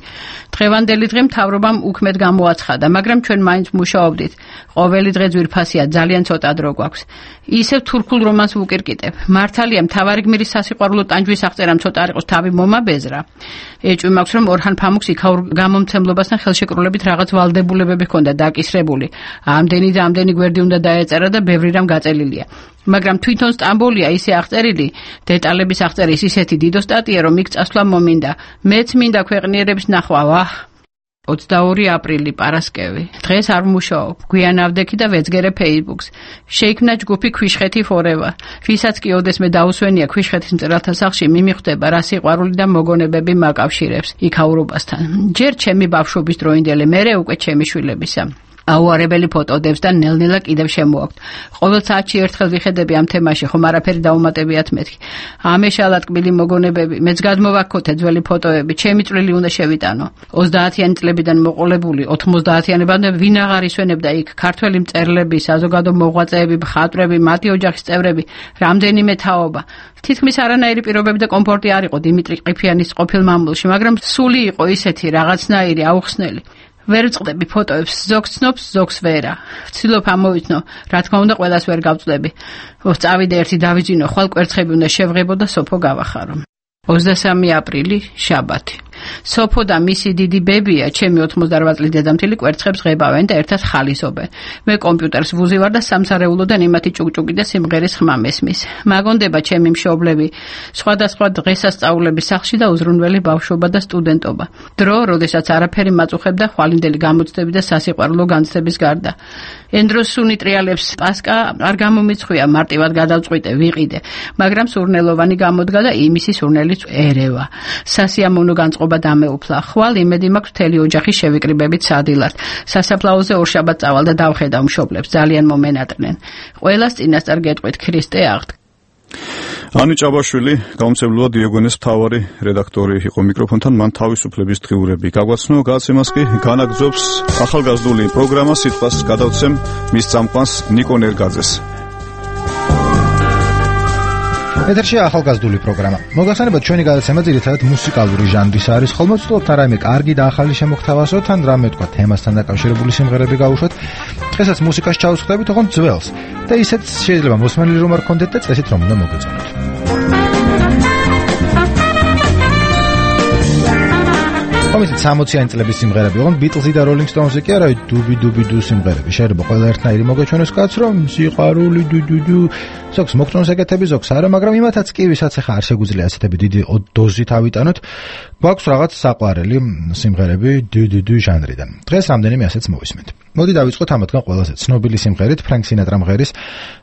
დღევანდელი დღე მთავრობამ უქმედ გამოაცხადა, მაგრამ ჩვენ მაინც მუშაობდით. ყოველი დღე ძვირფასია, ძალიან ცოტა დრო გვაქვს. ისევ თურქულ რომანს ვუკირკიტებ. მართალია, მთავარი გმირის სასიყვარულო ტანჯვის აღწერამ ცოტა არ იყოს თავი მომაბეზრა. ეჭვი მაქვს, რომ ორჰან ფამუქს იქაურ გამომცემლობასთან ხელშეკრულებით რაღაც ვალდებულებები ჰქონდა დაკისრებული. ამდენი და ამდენი გვერდი უნდა დაეწერა და ბევრი რამ გაწელილია. მაგრამ თვითონ სტამბოლია ისე აღწერილი, დეტალების აღწერის ისეთი დიდო სტატია, რომ იქ წასვლა მომინდა. მეც მინდა ქვეყნიერების ნახვა, ვაჰ. 22 აპრილი, პარასკევი. დღეს არ ვმუშაობ, გვიან ავდექი და ვეძგერე Facebook-ს. შეიქმნა ჯგუფი ქვიშხეთი forever. ვისაც კი ოდესმე დაუსვენია ქვიშხეთის მწერალთა სახლში, მიმიხვდება რა სიყვარული და მოგონებები მაკავშირებს იქაურობასთან. ჯერ ჩემი ბავშვობის დროინდელი, მერე უკვე ჩემი შვილებისა. აუარებელი ფოტოდებს და ნელ-ნელა კიდევ შემოაქვთ. ყოველ საათში ერთხელ ვიხედები ამ თემაში, ხომ არაფერი დაუმატებიათ მეთქი. ამეშალა ტკბილი მოგონებები, მეც გადმოვაქოთე ძველი ფოტოები, ჩემი წვლილი უნდა შევიტანო. 30-იანი წლებიდან მოყოლებული 90-იანებამდე ვინ აღარ ისვენებდა იქ ქართველი მწერლები, საზოგადო მოღვაწეები, მხატვრები, მათი ოჯახის წევრები, რამდენიმე თაობა. თითქმის არანაირი პირობები და კომფორტი არ იყო დიმიტრი ყიფიანის ყოფილ მამულში, მაგრამ სული იყო ისეთი რაღაცნაირი აუხსნელი. ვერ ვწყდები ფოტოებს, ზოგს ცნობს, ზოგს ვერა. ვცდილობ ამოვიცნო, რა თქმა უნდა, ყველას ვერ გავწდები. წავიდე ერთი დავიძინო, ხვალ კვერცხები უნდა შევღებო და სოფო გავახარო. 23 აპრილი, შაბათი. სოფო და მისი დიდი ბებია, ჩემი 88 წლის დედამთილი კვერცხებს ღებავენ და ერთად ხალისობენ. მე კომპიუტერს ვუზივარ და სამსარეულოდან იმათი ჭუკჭუკი და სიმღერის ხმა მესმის. მაგონდება ჩემი მშობლები, სხვადასხვა დღესასწაულების სახლში და უზრუნველი ბავშვობა და სტუდენტობა. დრო, როდესაც არაფერი მაწუხებდა ხვალინდელი გამოცდები და სასიყვარულო განცდების გარდა. ენდროსუნი ტრიალებს პასკა არ გამომიცხვია, მარტივად გადავწყვიტე, ვიყიდე, მაგრამ სურნელოვანი გამოდგა და იმისი სურნელიც ერევა. სასიამოვნო განწყობა დამეუფლა. ხვალ იმედი მაქვს მთელი ოჯახის შევიკრიბებით სადილად. სასაფლაოზე ორშაბათ წავალ და დავხედავ მშობლებს, ძალიან მომენატრნენ. ყველას წინასწარ გეტყვით, ქრისტე აღდგა. ანი ჭაბაშვილი, გამომცემლობა დიოგენეს მთავარი რედაქტორი იყო მიკროფონთან, მან თავისუფლების დღიურები გაგვაცნო, გადაცემას კი განაგრძობს ახალგაზრდული პროგრამა, სიტყვას გადავცემ მის წამყვანს ნიკო ნერგაძეს. ეთერში ახალგაზრდული პროგრამა. მოგახსენებათ, ჩვენი გადაცემა ძირითადად მუსიკალური ჟანრის არის, ხოლმე ვცდილობთ რაიმე კარგი და ახალი შემოგთავაზოთ, ან რამე თქვა თემასთან დაკავშირებული სიმღერები გავუშვათ. დღესაც მუსიკას ჩავსხდებით, ოღონდ ძველს. და ისეც შეიძლება მოსმენელი რომ არ გქონდეთ და წესით რომ უნდა მოგეწონოთ. იცით 60-იანი წლების სიმღერები ოღონდ Beatles-ი და Rolling Stones-ი კი არა, დუბი დუბი დუ სიმღერები. შეიძლება ყველა ერთნაირი მოგეჩვენოს კაც, რომ სიყვარული დუ ზოგს მოგწონს ეკეთები, ზოგს არა, მაგრამ იმათაც კი, ვისაც ახლა არ შეგვიძლია ასეთები დიდი დოზით ავიტანოთ, გვაქვს რაღაც საყვარელი სიმღერები დუ ჟანრიდან. დღეს რამდენიმე ასეც მოვისმენთ. მოდი დავიწყოთ ამათგან ყველაზე ცნობილი სიმღერით, Frank Sinatra მღერის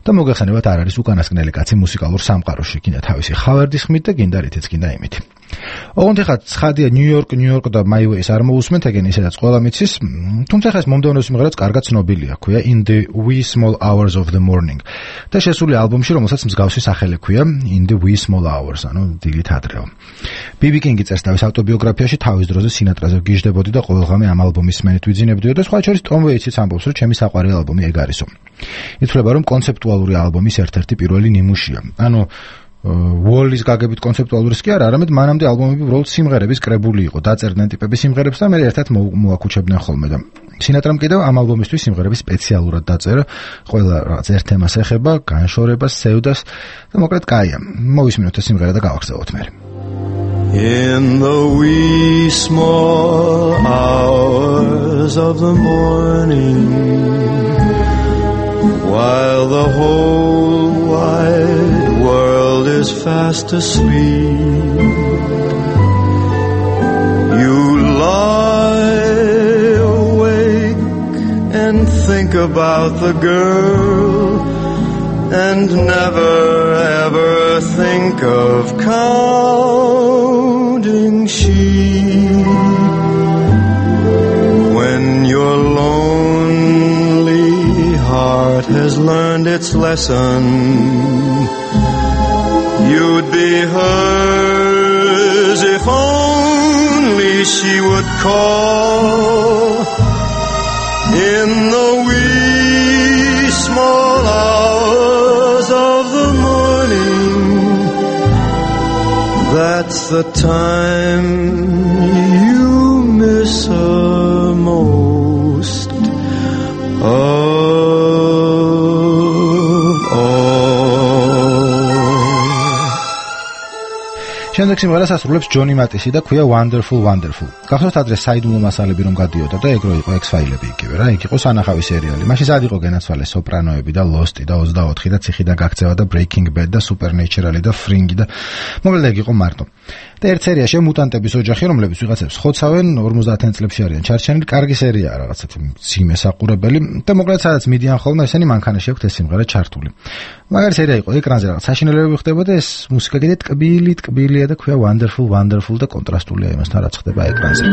და მოგეხსენებათ არ არის უკანასკნელი კაცი მუსიკალურ სამყაროში, გინდა თავისი ხავერდის ხმით და გინდა რითიც გინდა იმით. ოღონდ ეხლა ცხადია ნიუ-იორკ და My Ways არ მოусმენთ, ეგენ ისედაც ყველა მიცის, თუმცა ხა ეს მომდევნო სიმღერაც კარგად ცნობილია, ქვია In the Wee Small Hours of the Morning. და შესული ალბომში, რომელსაც მსგავსი სახელი ქვია In the Wee Small Hours, ანუ დილით ადრეო. BB King-ი წერს თავის ავტობიოგრაფიაში თავის დროზე სინატრაზე ვგიჟდებოდი და ყოველდღე ამ ალბომის სმენით ვიძინებდიო და სხვა შორის Tom Waits-იც ამბობს, რომ ჩემი საყვარელი ალბომი ეგ არისო. ითვლება, რომ კონცეპტუალური ალბომის ერთ-ერთი პირველი ნიმუშია. ანუ Wall-ის გაგებით კონცეპტუალურის კი არა, არამედ მანამდე ალბომები უბრალოდ სიმღერების კრებული იყო, დაწერდნენ ტიპების სიმღერებს და მე ერთად მოაკუჩებდნენ ხოლმე და Sinatra-მ კიდევ ამ ალბომისთვის სიმღერები სპეციალურად დაწერა, ყველა რაღაც ერთ თემას ეხება, განშორებას, სევდას და მოკლედ კაია. მოვისმინოთ ეს სიმღერა და გავახსოვოთ მე. In the wee small hours of the morning, while the whole wide world is fast asleep, you lie awake and think about the girl and never ever think of counting sheep. When your lonely heart has learned its lesson, you'd be hers if only she would call. In the wee small hours of the morning, that's the time you miss her most of all. შემდეგ სიმღერას ასრულებს ჯონი მატისი და ქვია Wonderful Wonderful. გახსოვთ ადრე საიდუმლო მასალები რომ გადიოდა და ეგრო იყო X-Files-ები იგივე რა, იქ იყო სანახავი სერიალი. მაშინ სად იყო განაცვალე სოპრანოები და Lost-ი და 24 და ციხიდან გაქცევა და Breaking Bad და Supernatural-ი და Fringe და მოკლედ ეგ იყო მარტო. და ერთ სერიაში მუტანტების ოჯახი, რომლებიც ვიღაცებს ხოცავენ 50-იან წლებში არიან ჩარჩენილი, კარგი სერიაა რაღაცა მძიმე საყურებელი და მოკლედ სადაც მიდიან ხოლმე ესენი მანქანაში აქვს ეს სიმღერა ჩართული. მაგარი სერია იყო, ეკრანზე რაღაც საშინელებები ხდებოდა, ეს მუსიკა კიდე ტკბილია და ქვია Wonderful Wonderful და კონტრასტულია იმასთან რაც ხდება ეკრანზე.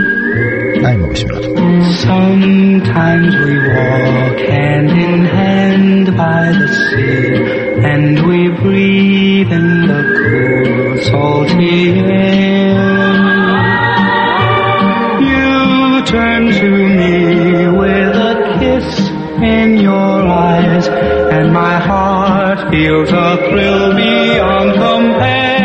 აი მოვისმინოთ. Sometimes we walk hand in hand by the sea, and we breathe in the cool salty air. You turn to me with a kiss in your eyes, and my heart feels a thrill beyond compare.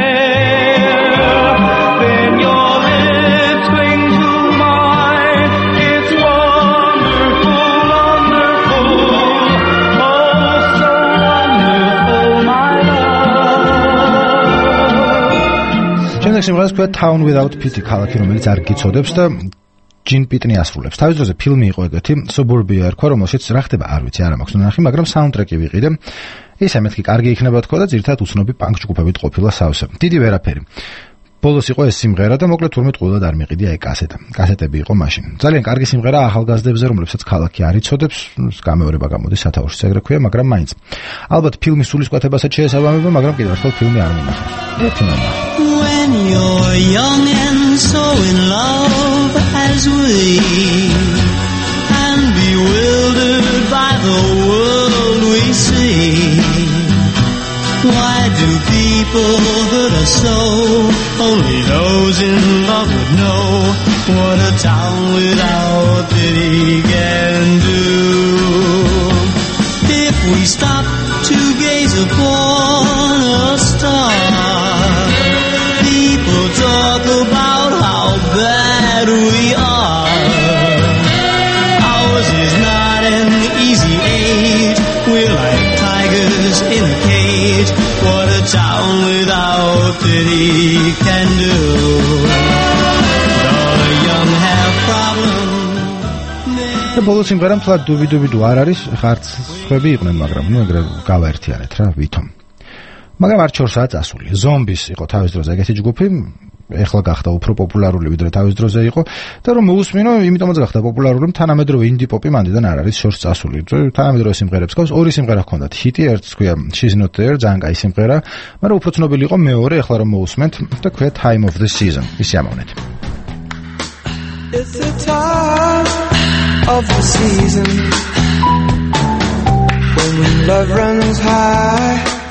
სიმღერას ქვია Town Without Pity, ქალაქი რომელიც არ გიცოდებს და ჯინ პიტნი ასრულებს. თავის დროზე ფილმი იყო ეგეთი, Suburbia ერქვა, რომელშიც რა ხდება არ ვიცი, არ მაქვს ნახი, მაგრამ საუნდტრეკი ვიყიდე. ისე მეთქი კარგი იქნება თქო და ძირთად უცნობი პანკ ჯგუფებით ყოფილა სავსე. დიდი ვერაფერი. ბოლოს იყო ეს სიმღერა და მოკლედ თურმე ტყუილად არ მიყიდია ეგ კასეტა. კასეტები იყო მაშინ. ძალიან კარგი სიმღერა ახალგაზრდებზე, რომლებსაც ქალაქი არ იცოდებს, გამეორება გამოდის სათაურში ეგრე ქვია, მაგრამ მაინც. ალბათ ფილმის სულისკვეთებასაც შეესაბამება, მაგრამ კიდევ ერთხელ ფილმი არ მინახავს. ერთი ნახე. When you're young and so in love as we, and bewildered by the world we see, why do people hurt us so? Only those in love would know what a town without pity can do. If we stop to gaze upon a star, people talk about how bad we are. Ours is not an easy age, we're like tigers in a cage. What a town without pity can do. The young have ბოლო სიმღერა მთლად დუბიდუ არ არის, ხარც სხვები იყვნენ, მაგრამ ეგრე გავაერთიანეთ რა, ვითომ. მაგრამ არ 4 საათს ასული. ზომბის იყო თავის დროზე ეგეთი ჯგუფი, ეხლა გახდა უფრო პოპულარული ვიდრე თავის დროზე იყო და რომ მოусმინო, იმიტომაც გახდა პოპულარული, თანამედროვე ინდი პოპი მანდიდან არ არის შორს წასული. თანამედროვე სიმღერებს ყავს, ორი სიმღერა ჰქონდათ ჰიტი, ერთს ქვია She's Not There, ძალიან კაი სიმღერა, მაგრამ უფრო ცნობილი იყო მეორე, ეხლა რომ მოусმენთ და ქვია Time of the Season. ისე ამოვნეთ. It's the time of the season when love runs high.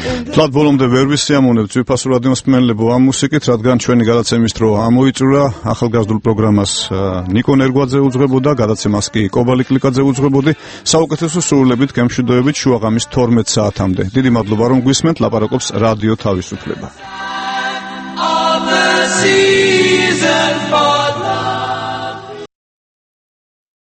Თლად ბოლომდე ვერ ვისიამოვნებთ ძვირფასურ რადიოს მსმენელებო ამ მუსიკით, რადგან ჩვენი გადაცემის დრო ამოიწურა, ახალგაზრდულ პროგრამას ნიკო ნერგვაძე უძღვებოდა, გადაცემას კი კობალი კლიკაძე უძღვებოდი, საუკეთესო სრულებით გემშვიდობებით შუაღამის 12 საათამდე. დიდი მადლობა რომ გვისმენთ, ლაპარაკობს რადიო თავისუფლება.